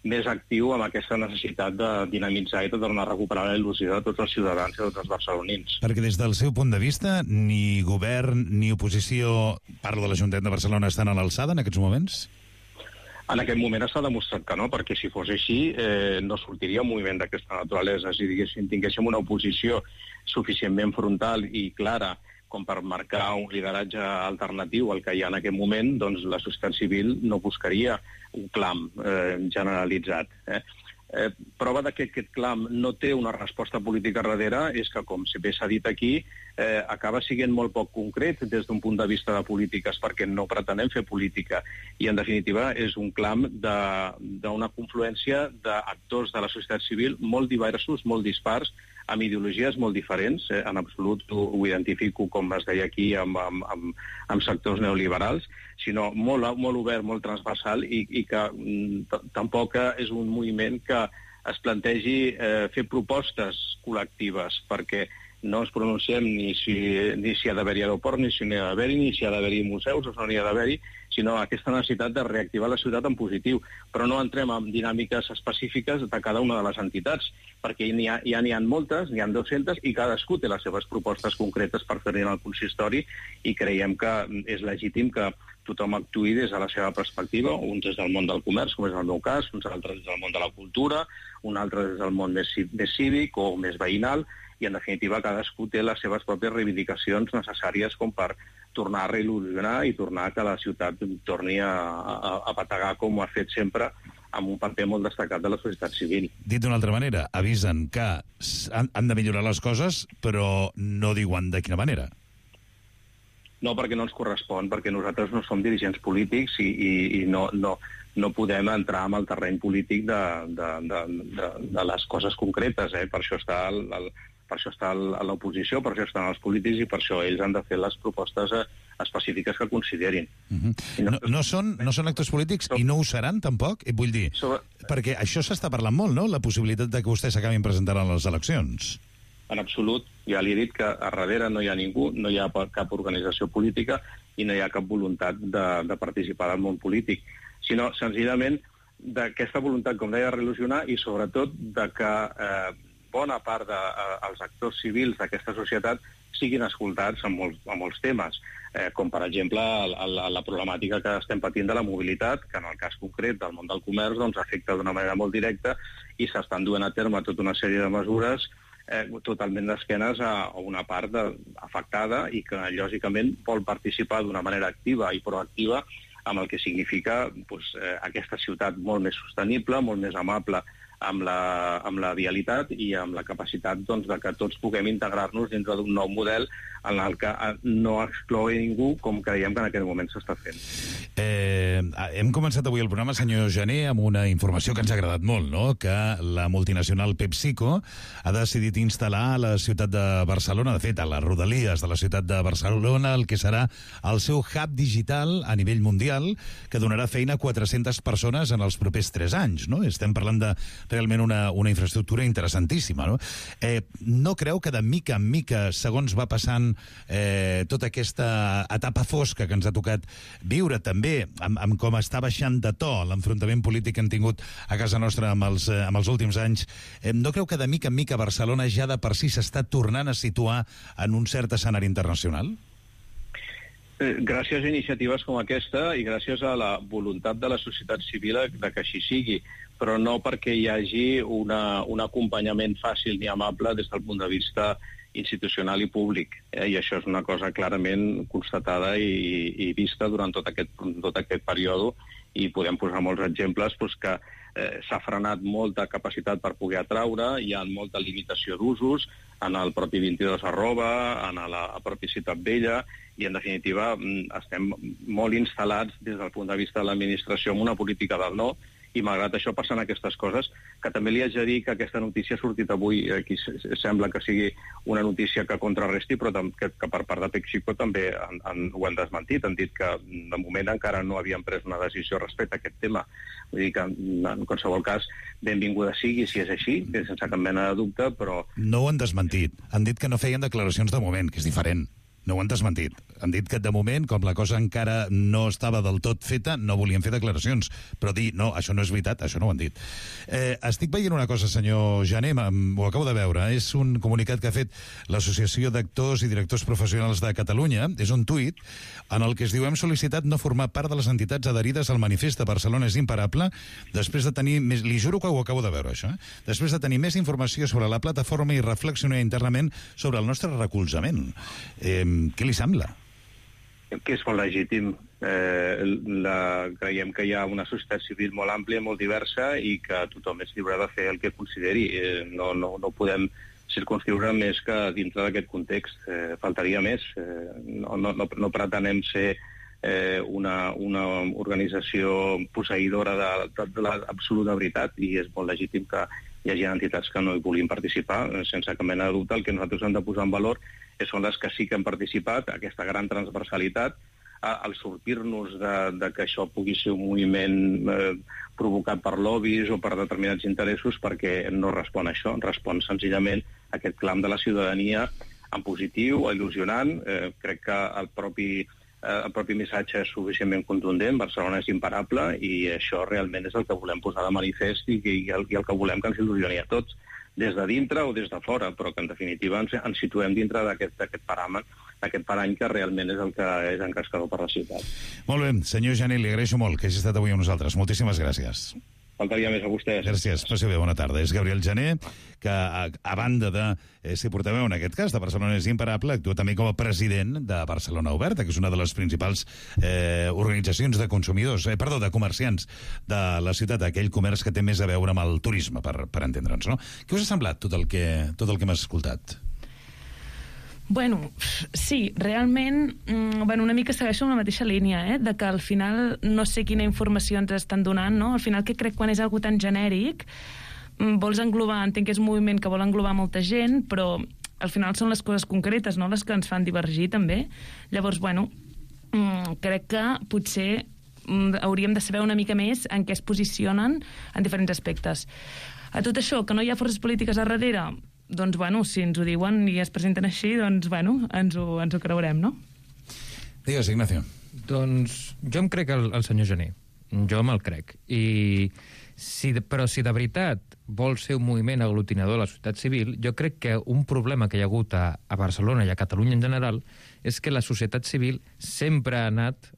més actiu amb aquesta necessitat de dinamitzar i de tornar a recuperar la il·lusió de tots els ciutadans i de tots els barcelonins. Perquè des del seu punt de vista, ni govern ni oposició, parlo de l'Ajuntament de Barcelona, estan a l'alçada en aquests moments? En aquest moment s'ha demostrat que no, perquè si fos així no sortiria un moviment d'aquesta naturalesa. Si tinguéssim una oposició suficientment frontal i clara com per marcar un lideratge alternatiu al que hi ha en aquest moment, doncs la societat civil no buscaria un clam generalitzat. Prova que aquest clam no té una resposta política darrere és que, com bé s'ha dit aquí, acaba sent molt poc concret des d'un punt de vista de polítiques perquè no pretenem fer política i, en definitiva, és un clam d'una confluència d'actors de la societat civil molt diversos, molt dispars, amb ideologies molt diferents, en absolut ho identifico, com es deia aquí, amb sectors neoliberals, sinó molt obert, molt transversal i que tampoc és un moviment que es plantegi fer propostes col·lectives, perquè no ens pronunciem ni si ha d'haver-hi aeroport, ni si n'hi ha d'haver-hi, ni si ha d'haver-hi museus o no n'hi ha d'haver-hi, sinó aquesta necessitat de reactivar la ciutat en positiu. Però no entrem en dinàmiques específiques de cada una de les entitats, perquè ja n'hi ha moltes, n'hi ha 200, i cadascú té les seves propostes concretes per fer-hi al consistori, i creiem que és legítim que tothom actuï des de la seva perspectiva, uns des del món del comerç, com és el meu cas, uns altres des del món de la cultura, un altre des del món més cívic o més veïnal, i en definitiva cadascú té les seves pròpies reivindicacions necessàries com per tornar a reil·lusionar i tornar que la ciutat torni a bategar com ho ha fet sempre amb un paper molt destacat de la societat civil. Dit d'una altra manera, avisen que han de millorar les coses, però no diuen de quina manera. No, perquè no ens correspon, perquè nosaltres no som dirigents polítics i no podem entrar en el terreny polític de les coses concretes. Per això està a l'oposició, per això estan els polítics i per això ells han de fer les propostes específiques que considerin. No són actors polítics i no ho seran, tampoc? Vull dir, perquè això s'està parlant molt, no?, la possibilitat de que vostès s'acabin presentant a les eleccions. En absolut, ja li he dit que a darrere no hi ha ningú, no hi ha cap organització política i no hi ha cap voluntat de participar del món polític, sinó senzillament d'aquesta voluntat, com deia, de reil·lusionar i sobretot de que bona part dels actors civils d'aquesta societat siguin escoltats en molts temes, com per exemple la problemàtica que estem patint de la mobilitat, que en el cas concret del món del comerç doncs afecta d'una manera molt directa i s'estan duent a terme tota una sèrie de mesures totalment d'esquenes a una part afectada i que, lògicament, vol participar d'una manera activa i proactiva amb el que significa aquesta ciutat molt més sostenible, molt més amable amb la vialitat i amb la capacitat de que tots puguem integrar-nos dintre d'un nou model en el que no excloi ningú, com creiem que en aquest moment s'està fent. Hem començat avui el programa, senyor Jané, amb una informació que ens ha agradat molt, no? Que la multinacional PepsiCo ha decidit instal·lar a la ciutat de Barcelona, de fet, a les rodalies de la ciutat de Barcelona, el que serà el seu hub digital a nivell mundial, que donarà feina a 400 persones en els propers 3 anys, no? Estem parlant de realment una infraestructura interessantíssima, no? No creu que de mica en mica, segons va passant tota aquesta etapa fosca que ens ha tocat viure, també amb com està baixant de to l'enfrontament polític que hem tingut a casa nostra amb els últims anys, no creu que de mica en mica Barcelona ja de per si s'està tornant a situar en un cert escenari internacional? Gràcies a iniciatives com aquesta i gràcies a la voluntat de la societat civil de que així sigui, però no perquè hi hagi un acompanyament fàcil ni amable des del punt de vista institucional i públic. I això és una cosa clarament constatada i vista durant tot aquest període, i podem posar molts exemples que s'ha frenat molta capacitat per poder atraure, hi ha molta limitació d'usos en el propi 22 en la pròpia Ciutat Vella, i en definitiva estem molt instal·lats des del punt de vista de l'administració en una política del no, i malgrat això passen aquestes coses, que també li haig de dir que aquesta notícia ha sortit avui, aquí sembla que sigui una notícia que contrarresti, però que per part de PepsiCo també ho han desmentit, han dit que de moment encara no havien pres una decisió respecte a aquest tema. Vull dir que en qualsevol cas, benvinguda sigui si és així, sense cap mena de dubte, però... No ho han desmentit, han dit que no feien declaracions de moment, que és diferent. No ho han desmentit. Han dit que de moment, com la cosa encara no estava del tot feta, no volien fer declaracions. Però dir, no, això no és veritat, això no ho han dit. Estic veient una cosa, senyor Jané, ho acabo de veure. És un comunicat que ha fet l'Associació d'Actors i Directors Professionals de Catalunya. És un tuit en el que es diu: hem sol·licitat no formar part de les entitats adherides al manifest de Barcelona és imparable, després de tenir més... Li juro que ho acabo de veure, això. Després de tenir més informació sobre la plataforma i reflexionar internament sobre el nostre recolzament. Què li sembla? Que és molt legítim. Creiem que hi ha una societat civil molt àmplia, molt diversa, i que tothom és lliure de fer el que consideri. No podem circunscriure més que dintre d'aquest context. Faltaria més. No pretenem ser una organització posseïdora de l'absoluta veritat, i és molt legítim que hi hagi entitats que no hi vulguin participar. Sense cap mena de dubte, el que nosaltres hem de posar en valor són les que sí que han participat, aquesta gran transversalitat, al sortir-nos de que això pugui ser un moviment provocat per lobbies o per determinats interessos, perquè no respon a això, respon senzillament a aquest clam de la ciutadania en positiu, il·lusionant. Crec que el propi missatge és suficientment contundent. Barcelona és imparable, i això realment és el que volem posar de manifest i el que volem que ens il·lusioni a tots, des de dintre o des de fora, però que en definitiva ens situem dintre d'aquest parany que realment és el que és encascador per la ciutat. Molt bé, senyor Jané, li agraeixo molt que hagi estat avui amb nosaltres. Moltíssimes gràcies. Faltaria més a vostès. Gràcies, passi bé, bona tarda. És Gabriel Jané, que a banda de ser portaveu, en aquest cas, de Barcelona és imparable, actua també com a president de Barcelona Oberta, que és una de les principals organitzacions de consumidors, de comerciants de la ciutat, aquell comerç que té més a veure amb el turisme, per entendre'ns, no? Què us ha semblat tot el que hem escoltat? Bueno, sí, realment una mica segueixo en la mateixa línia, de que al final no sé quina informació ens estan donant, no? Al final, que crec quan és algo tan genèric, vols englobar, entenc que és un moviment que vol englobar molta gent, però al final són les coses concretes, no?, les que ens fan divergir també. Llavors, crec que potser hauríem de saber una mica més en què es posicionen en diferents aspectes. A tot això, que no hi ha forces polítiques a darrere, doncs, si ens ho diuen i es presenten així, doncs, ens ho creurem, no? Digues, Ignacio. Doncs jo em crec el senyor Jané. Jo me'l crec. Però si de veritat vol ser un moviment aglutinador de la societat civil, jo crec que un problema que hi ha hagut a Barcelona i a Catalunya en general és que la societat civil sempre ha anat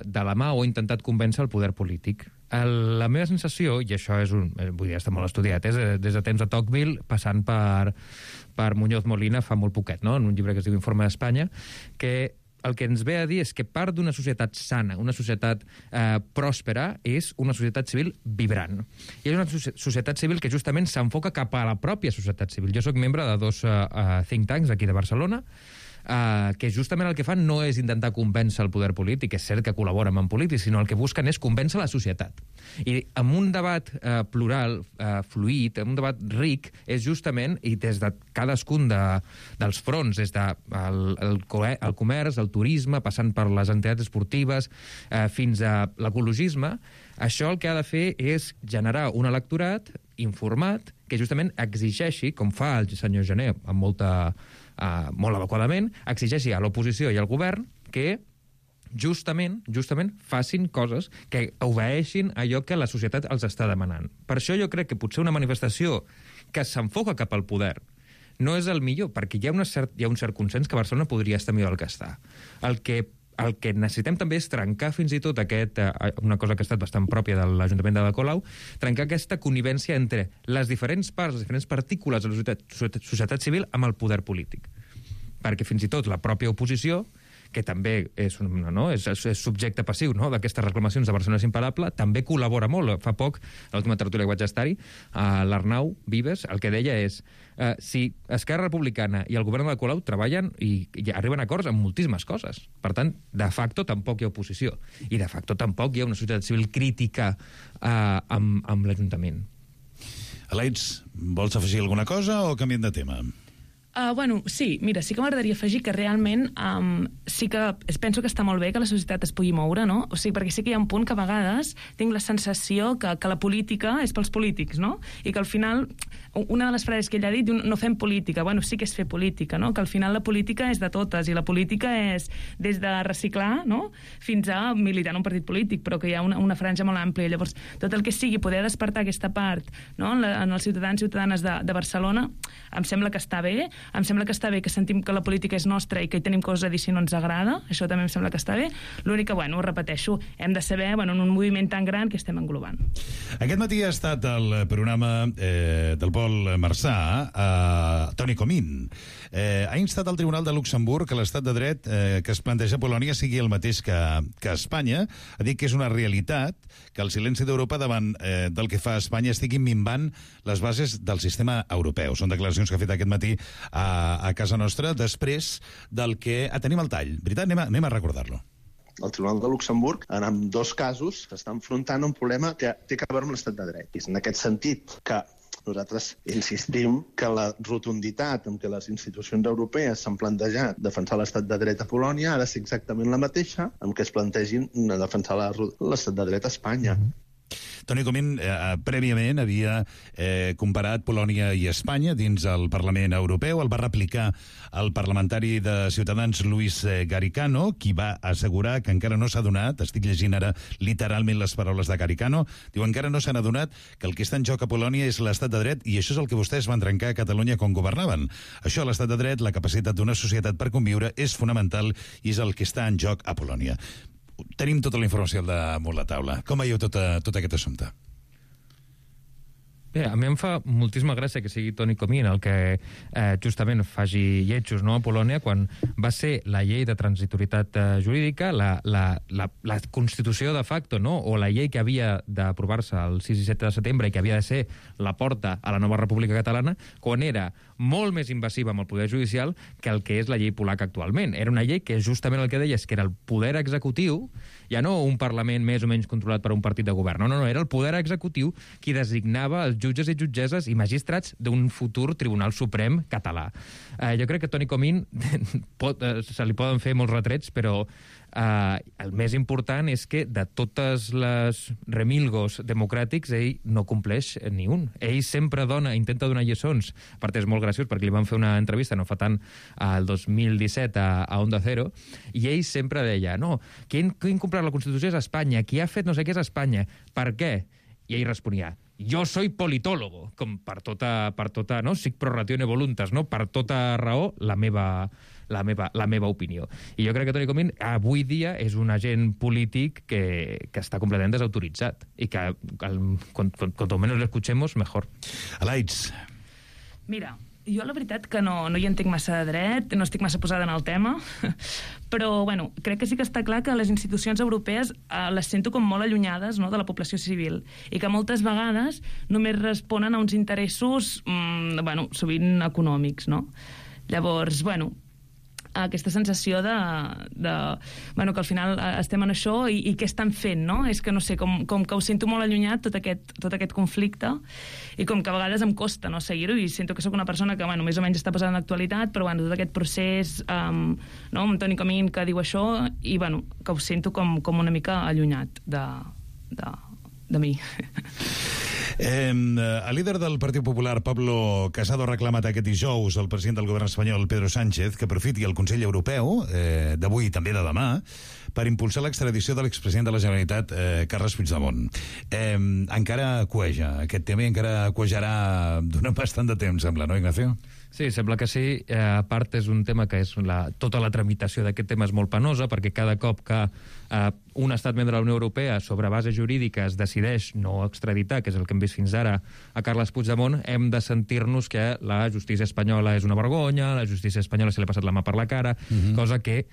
de la mà o ha intentat convèncer el poder polític. La meva sensació, i això és vull dir, està molt estudiat, és des de temps de Tocqueville, passant per Muñoz Molina fa molt poquet, no? En un llibre que es diu Informe d'Espanya, que el que ens ve a dir és que part d'una societat sana, una societat pròspera, és una societat civil vibrant. I és una societat civil que justament s'enfoca cap a la pròpia societat civil. Jo sóc membre de 2 think tanks aquí de Barcelona, que justament el que fan no és intentar convèncer el poder polític, és cert que col·laboren amb polítics, sinó el que busquen és convèncer la societat. I amb un debat plural, fluid, amb un debat ric, és justament, i des de cadascun dels fronts, des del comerç, el turisme, passant per les entitats esportives, fins a l'ecologisme, això el que ha de fer és generar un electorat informat que justament exigeixi, com fa el senyor Jané amb molt adequadament, exigeixi a l'oposició i al govern que justament facin coses que obeeixin allò que la societat els està demanant. Per això jo crec que potser una manifestació que s'enfoca cap al poder no és el millor, perquè hi ha un cert consens que Barcelona podria estar millor del que està. El que necessitem també és trencar fins i tot una cosa que ha estat bastant pròpia de l'Ajuntament de Ada Colau, trencar aquesta connivència entre les diferents parts, les diferents partícules de la societat civil amb el poder polític. Perquè fins i tot la pròpia oposició, que també és subjecte passiu d'aquestes reclamacions de Barcelona és imparable, també col·labora molt. Fa poc, a l'última tertúlia que vaig estar-hi, l'Arnau Vives el que deia és si Esquerra Republicana i el govern de Colau treballen i arriben a acords en moltíssimes coses. Per tant, de facto tampoc hi ha oposició. I de facto tampoc hi ha una societat civil crítica amb l'Ajuntament. Alex, vols afegir alguna cosa o canviem de tema? Sí, mira, sí que m'agradaria afegir que realment sí que penso que està molt bé que la societat es pugui moure, no? O sigui, perquè sí que hi ha un punt que a vegades tinc la sensació que la política és pels polítics, no? I que al final, una de les frases que ell ha dit, no fem política. Bueno, sí que és fer política, no? Que al final la política és de totes, i la política és des de reciclar, no?, fins a militar en un partit polític, però que hi ha una franja molt àmplia. Llavors, tot el que sigui poder despertar aquesta part, no?, en els ciutadans i ciutadanes de Barcelona, em sembla que està bé. Em sembla que està bé que sentim que la política és nostra i que hi tenim coses a dir si no ens agrada. Això també em sembla que està bé. L'únic que, ho repeteixo, hem de saber, en un moviment tan gran que estem englobant. Aquest matí ha estat el programa del Pol Marçà, Toni Comín. Ha instat al Tribunal de Luxemburg que l'estat de dret que es planteja a Polònia sigui el mateix que Espanya. Ha dit que és una realitat que el silenci d'Europa davant del que fa Espanya estigui minvant les bases del sistema europeu. Són declaracions que ha fet aquest matí a casa nostra, després del que... tenim el tall. Veritat? Anem a recordar-lo. El Tribunal de Luxemburg, en ambdós casos, s'està enfrontant a un problema que té a veure amb l'estat de dret. És en aquest sentit que nosaltres insistim que la rotunditat amb què les institucions europees s'han plantejat defensar l'estat de dret a Polònia ha de ser exactament la mateixa amb què es plantegin defensar l'estat de dret a Espanya. Toni Comín prèviament havia comparat Polònia i Espanya dins el Parlament Europeu. El va replicar el parlamentari de Ciutadans Luis Garicano, qui va assegurar que encara no s'ha adonat, estic llegint ara literalment les paraules de Garicano, diu encara no s'han adonat que el que està en joc a Polònia és l'estat de dret i això és el que vostès van trencar a Catalunya quan governaven. Això, l'estat de dret, la capacitat d'una societat per conviure, és fonamental i és el que està en joc a Polònia. Tenim tota la informació damunt la taula. Com veieu tot aquest assumpte? Bé, a mi em fa moltíssima gràcia que sigui Toni Comín el que justament faci lletjos a Polònia quan va ser la llei de transitorietat jurídica, la Constitució de facto, o la llei que havia d'aprovar-se el 6 i 7 de setembre i que havia de ser la porta a la nova República Catalana, quan era molt més invasiva amb el poder judicial que el que és la llei polaca actualment. Era una llei que justament el que deia és que era el poder executiu, ja no un Parlament més o menys controlat per un partit de govern, no, era el poder executiu qui designava els jutges i jutgesses i magistrats d'un futur Tribunal Suprem català. Jo crec que Toni Comín se li poden fer molts retrets, però el més important és que de totes les remilgos democràtics ell no compleix ni un. Ell sempre intenta donar lliçons. A part, és molt graciós perquè li van fer una entrevista no fa tant el 2017 a Onda Cero i ell sempre deia qui ha incomplert la Constitució és Espanya, qui ha fet no sé què és Espanya. Per què? I ell responia, jo soy politólogo, com per tota no? Sic pro ratione voluntas, no? Per tota raó, la meva la meva opinió. I jo crec que Toni Comín avui dia és un agent polític que està completament desautoritzat i que cuanto menos lo escuchemos, mejor. Alaitz. Mira, jo la veritat que no hi entenc massa de dret, no estic massa posada en el tema, però bueno, crec que sí que està clar que les institucions europees les sento com molt allunyades, no?, de la població civil, i que moltes vegades només responen a uns interessos sovint econòmics, no? Llavors, aquesta sensació que al final estem en això i què estan fent, no? És que no sé, com que ho sento molt allunyat tot aquest conflicte, i com que a vegades em costa, no, seguir-ho, i sento que sóc una persona que més o menys està posada en l'actualitat, però tot aquest procés amb Toni Comín que diu això, i que ho sento com una mica allunyat de mi. El líder del Partit Popular, Pablo Casado, ha reclamat aquest dijous al president del govern espanyol, Pedro Sánchez, que aprofiti el Consell Europeu, d'avui i també de demà, per impulsar l'extradició de l'expresident de la Generalitat, Carles Puigdemont. Encara cueja aquest tema i encara cuejarà durant bastant de temps, sembla, no, Ignacio? Sí, sembla que sí. A part, és un tema que tota la tramitació d'aquest tema és molt penosa, perquè cada cop que un estat membre de la Unió Europea sobre bases jurídiques decideix no extraditar, que és el que hem vist fins ara, a Carles Puigdemont, hem de sentir-nos que la justícia espanyola és una vergonya, la justícia espanyola se li ha passat la mà per la cara, cosa que,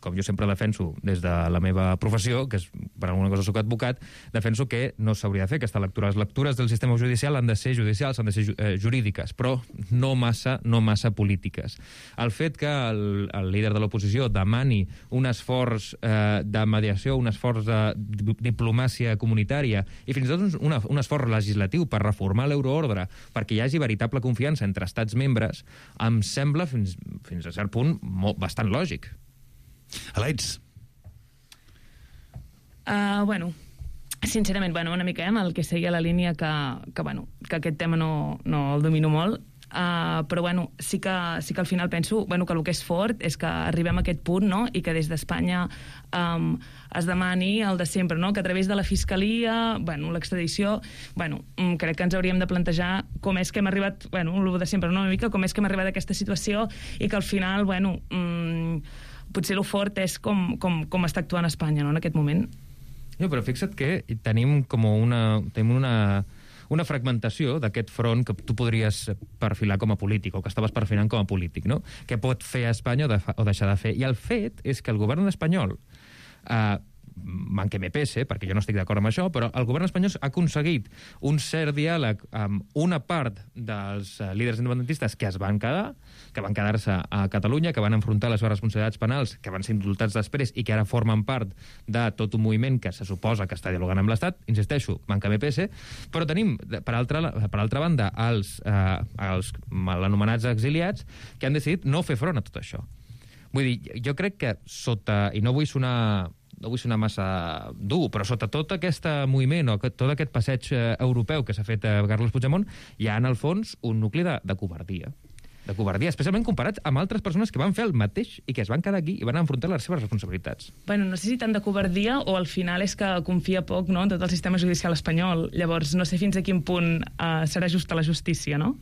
com jo sempre defenso des de la meva professió, que és per alguna cosa soc advocat, defenso que no s'hauria de fer aquesta lectura. Les lectures del sistema judicial han de ser judicials, han de ser jurídiques, però no massa polítiques. El fet que el líder de l'oposició demani un esforç de mediació, un esforç de diplomàcia comunitària i fins i tot un esforç legislatiu per reformar l'euroordre perquè hi hagi veritable confiança entre estats membres, em sembla fins a cert punt bastant lògic. Alaitz. Sincerament, una mica el que seguia la línia que aquest tema no el domino molt, però sí que al final penso que el que és fort és que arribem a aquest punt, no?, i que des d'Espanya es demani el de sempre, no?, que a través de la Fiscalia, l'extradició, crec que ens hauríem de plantejar com és que hem arribat, el de sempre, no?, una mica com és que hem arribat a aquesta situació i que al final, potser el fort és com està actuant Espanya, no?, en aquest moment. No, però fixa't que tenim com una fragmentació d'aquest front que tu podries perfilar com a polític, o que estaves perfilant com a polític, no? Què pot fer Espanya o deixar de fer? I el fet és que el govern espanyol, manque me pese, perquè jo no estic d'acord amb això, però el govern espanyol ha aconseguit un cert diàleg amb una part dels líders independentistes que van quedar-se a Catalunya, que van enfrontar les seves responsabilitats penals, que van ser indultats després i que ara formen part de tot un moviment que se suposa que està dialogant amb l'Estat. Insisteixo, manque me pese, però tenim, per altra banda, els anomenats exiliats que han decidit no fer front a tot això. Vull dir, jo crec que i no vull sonar massa dur, però sota tot aquest moviment o tot aquest passeig europeu que s'ha fet a Carles Puigdemont, hi ha en el fons un nucli de covardia. De covardia, especialment comparats amb altres persones que van fer el mateix i que es van quedar aquí i van enfrontar les seves responsabilitats. No sé si tant de covardia o al final és que confia poc, no?, en tot el sistema judicial espanyol. Llavors, no sé fins a quin punt serà justa la justícia, no?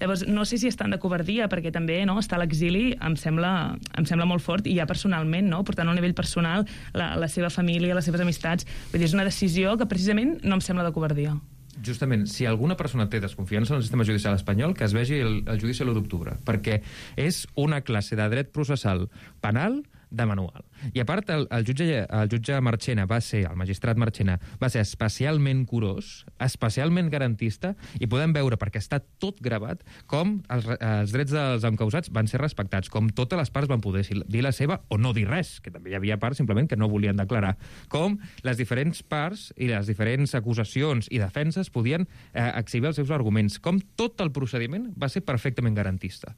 Llavors, no sé si és tant de covardia, perquè també, no?, estar a l'exili em sembla molt fort, i ja personalment, no?, portant a un nivell personal la seva família, les seves amistats. Vull dir, és una decisió que precisament no em sembla de covardia. Justament, si alguna persona té desconfiança en el sistema judicial espanyol, que es vegi el judici l'1 d'octubre, perquè és una classe de dret processal penal de manual. I a part, el jutge Marchena el magistrat Marchena va ser especialment curós, especialment garantista, i podem veure, perquè està tot gravat, com els drets dels encausats van ser respectats, com totes les parts van poder dir la seva o no dir res, que també hi havia parts simplement que no volien declarar, com les diferents parts i les diferents acusacions i defenses podien exhibir els seus arguments, com tot el procediment va ser perfectament garantista.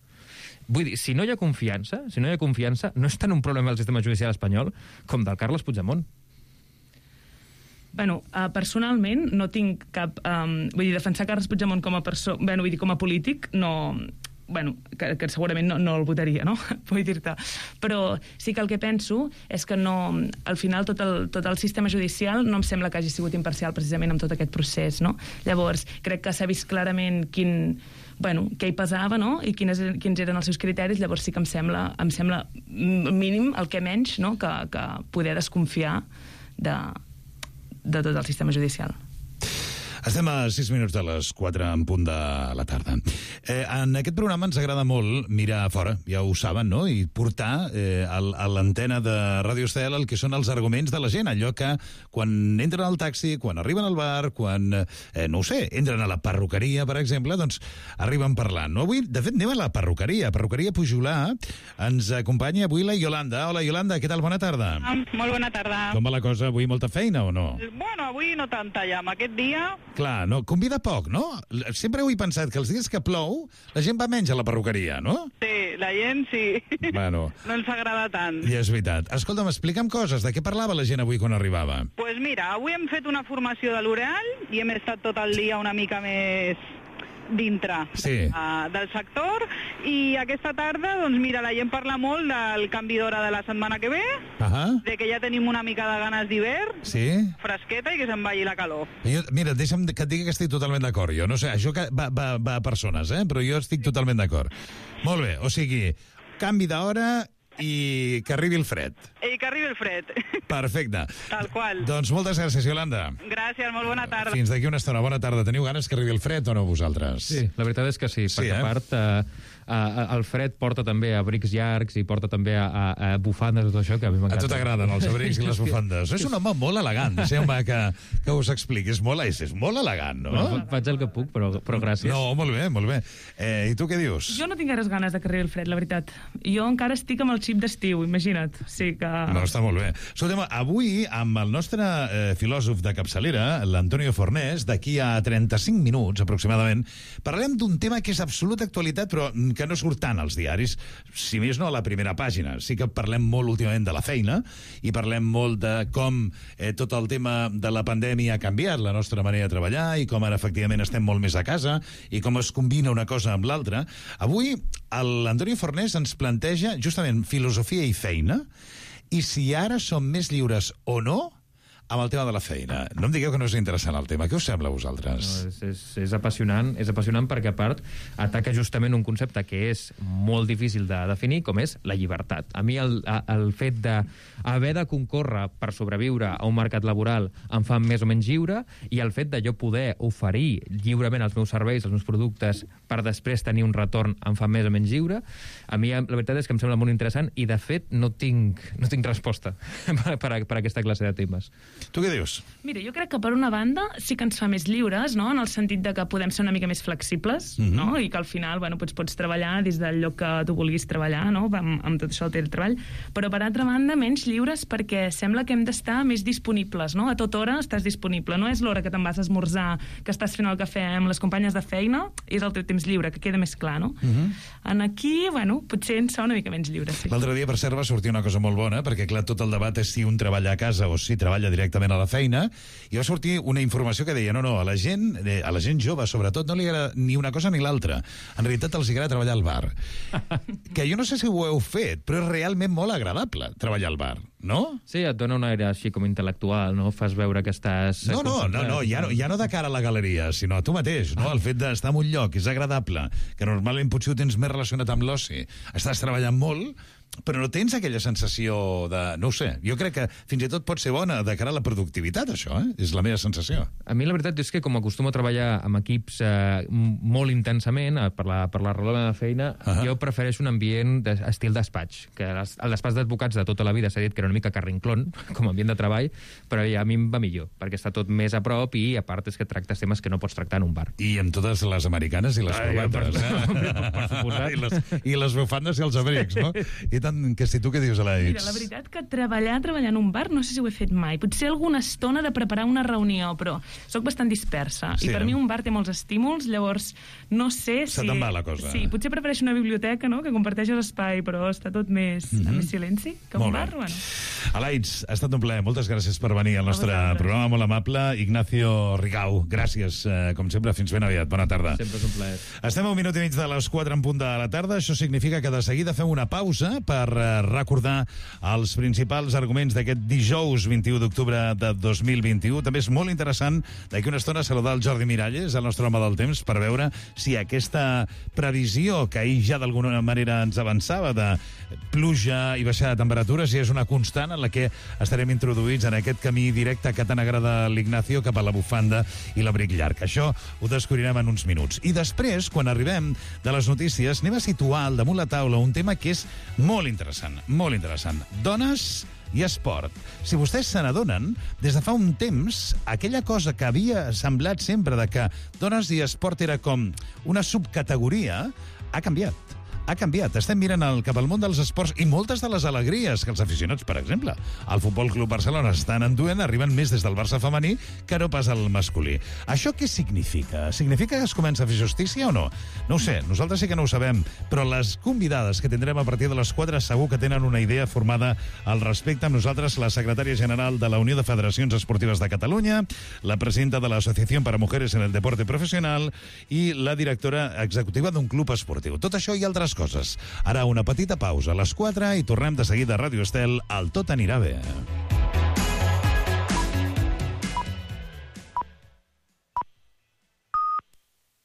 Vull dir, si no hi ha confiança, no és tant un problema del sistema judicial espanyol com del Carles Puigdemont. Personalment no tinc cap... defensar Carles Puigdemont com a polític no... bueno, que segurament no el votaria, no? Vull dir-te. Però sí que el que penso és que no, al final tot el sistema judicial no em sembla que hagi sigut imparcial precisament amb tot aquest procés, no? Llavors, crec que s'ha vist clarament què hi pesava, no? I quins eren els seus criteris. Llavors sí que em sembla mínim, el que menys, no? Que poder desconfiar de tot el sistema judicial. Estem a 6 minuts de les 4 en punt de la tarda. En aquest programa ens agrada molt mirar a fora, ja ho saben, no? I portar a l'antena de Ràdio Estel el que són els arguments de la gent, allò que quan entren al taxi, quan arriben al bar, quan, no ho sé, entren a la perruqueria, per exemple, doncs arriben parlant. No? Avui, de fet, anem a la perruqueria Pujolà. Ens acompanya avui la Iolanda. Hola, Iolanda, què tal? Bona tarda. Molt bona tarda. Com va la cosa? Avui molta feina o no? Bueno, avui no tanta ja. Amb aquest dia... Clar, no, convida poc, no? Sempre ho he pensat, que els dies que plou, la gent va menys a la perruqueria, no? Sí, la gent sí. Bueno. No ens agrada tant. I és veritat. Escolta'm, explica'm coses. De què parlava la gent avui quan arribava? Pues mira, avui hem fet una formació de L'Oreal i hem estat tot el dia una mica més dintre del sector, i aquesta tarda, doncs mira, la gent parla molt del canvi d'hora de la setmana que ve, de que ja tenim una mica de ganes d'hivern, fresqueta i que se'n vagi la calor. Mira, deixa'm que et digui que estic totalment d'acord. Jo no sé, això va a persones, però jo estic totalment d'acord. Molt bé, o sigui, canvi d'hora i que arribi el fred. I que arribi el fred. Perfecte. Tal qual. Doncs moltes gràcies, Iolanda. Gràcies, molt bona tarda. Fins d'aquí una estona. Bona tarda. Teniu ganes que arribi el fred o no, vosaltres? Sí, la veritat és que sí, perquè a part el fred porta també abrics llargs i porta també a bufandes i tot això, que a mi m'encanta. A tu t'agraden els abrics i les bufandes. És un home molt elegant, deixeu-me que us expliqui. És molt elegant, no? Bueno, faig el que puc, però gràcies. No, molt bé, molt bé. I tu què dius? Jo no tinc gaires ganes de que arribi el fred, la veritat. Jo encara estic amb el xip d'estiu, imagina't. Sí que... No, està molt bé. Escolta'm, avui, amb el nostre filòsof de capçalera, l'Antonio Fornés, d'aquí a 35 minuts, aproximadament, parlarem d'un tema que és absoluta actualitat, però que no surt tant als diaris, si més no a la primera pàgina. Sí que parlem molt últimament de la feina i parlem molt de com tot el tema de la pandèmia ha canviat la nostra manera de treballar i com ara efectivament estem molt més a casa i com es combina una cosa amb l'altra. Avui l'Antonio Fornés ens planteja justament filosofia i feina, i si ara som més lliures o no amb el tema de la feina. No em digueu que no és interessant el tema. Què us sembla a vosaltres? No, és apassionant perquè, a part, ataca justament un concepte que és molt difícil de definir, com és la llibertat. A mi el fet d'haver de concórrer per sobreviure a un mercat laboral em fa més o menys lliure, i el fet de jo poder oferir lliurement els meus serveis, els meus productes, per després tenir un retorn em fa més o menys lliure. A mi la veritat és que em sembla molt interessant i, de fet, no tinc resposta per a aquesta classe de temes. Tu què dius? Mira, jo crec que per una banda sí que ens fa més lliures, no? En el sentit de que podem ser una mica més flexibles, no? I que al final, bueno, pots treballar des del lloc que tu vulguis treballar, no? Amb tot això del teletreball. Però per altra banda, menys lliures perquè sembla que hem d'estar més disponibles, no? A tota hora estàs disponible. No és l'hora que te'n vas a esmorzar, que estàs fent el cafè amb les companyes de feina, és el teu temps lliure, que queda més clar, no? En aquí, bueno, potser ens fa una mica menys lliure, sí. L'altre dia, per cert, va sortir una cosa molt bona, perquè, clar, tot el debat és si un treballa a casa o si treballa directament a la feina, i va sortir una informació que deia no, a la gent jove, sobretot, no li agrada ni una cosa ni l'altra. En realitat els agrada treballar al bar. Que jo no sé si ho heu fet, però és realment molt agradable treballar al bar, no? Sí, et dona un aire així com intel·lectual, no? Fas veure que estàs... No, ja no de cara a la galeria, sinó a tu mateix, no? El fet d'estar en un lloc és agradable, que normalment potser ho tens més relacionat amb l'oci. Estàs treballant molt, però no tens aquella sensació de... No ho sé, jo crec que fins i tot pot ser bona de cara a la productivitat, això, És la meva sensació. A mi la veritat és que com acostumo a treballar amb equips molt intensament, per la raó de la meva feina, jo prefereixo un ambient estil despatx, que el despatx d'advocats de tota la vida s'ha dit que era una mica carrinclón, com a ambient de treball, però a mi em va millor, perquè està tot més a prop i, a part, és que tractes temes que no pots tractar en un bar. I amb totes les americanes i les corbates, per suposat. I les bufandes i els abrics, no? I tant que si tu què dius, Alaix? Mira, la veritat que treballar en un bar no sé si ho he fet mai. Potser alguna estona de preparar una reunió, però sóc bastant dispersa. Sí, I per mi un bar té molts estímuls, llavors no sé si... Se te'n va la cosa. Sí, potser prefereixo una biblioteca, no?, que comparteixes espai, però està tot més, amb més silenci que un bar. Bueno. Alaix, ha estat un plaer. Moltes gràcies per venir al nostre programa, molt amable. Ignacio Rigau, gràcies, com sempre, fins ben aviat. Bona tarda. Sempre és un plaer. Estem a un minut i mig de les 4 en punt de la tarda. Això significa que de seguida fem una pausa per recordar els principals arguments d'aquest dijous 21 d'octubre de 2021. També és molt interessant d'aquí una estona saludar el Jordi Miralles, el nostre home del temps, per veure si aquesta previsió que ahir ja d'alguna manera ens avançava de pluja i baixada de temperatures ja és una constant en la que estarem introduïts en aquest camí directe que tant agrada l'Ignacio cap a la bufanda i l'abric llarg. Això ho descobrirem en uns minuts. I després, quan arribem de les notícies, anem a situar al damunt la taula un tema que és molt interessant, molt interessant. Dones i esport. Si vostès se n'adonen, des de fa un temps, aquella cosa que havia semblat sempre de que dones i esport era com una subcategoria, ha canviat. Ha canviat. Estem mirant cap al món dels esports i moltes de les alegries que els aficionats, per exemple, al Futbol Club Barcelona estan enduent, arriben més des del Barça femení que no pas al masculí. Això què significa? Significa que es comença a fer justícia o no? No ho sé, nosaltres sí que no ho sabem, però les convidades que tindrem a partir de les 4 segur que tenen una idea formada al respecte. Amb nosaltres la secretària general de la Unió de Federacions Esportives de Catalunya, la presidenta de l'Associació para Mujeres en el Deporte Profesional i la directora executiva d'un club esportiu. Tot això i altres coses. Ara una petita pausa a les 4 i tornem de seguida a Ràdio Estel. El Tot anirà bé.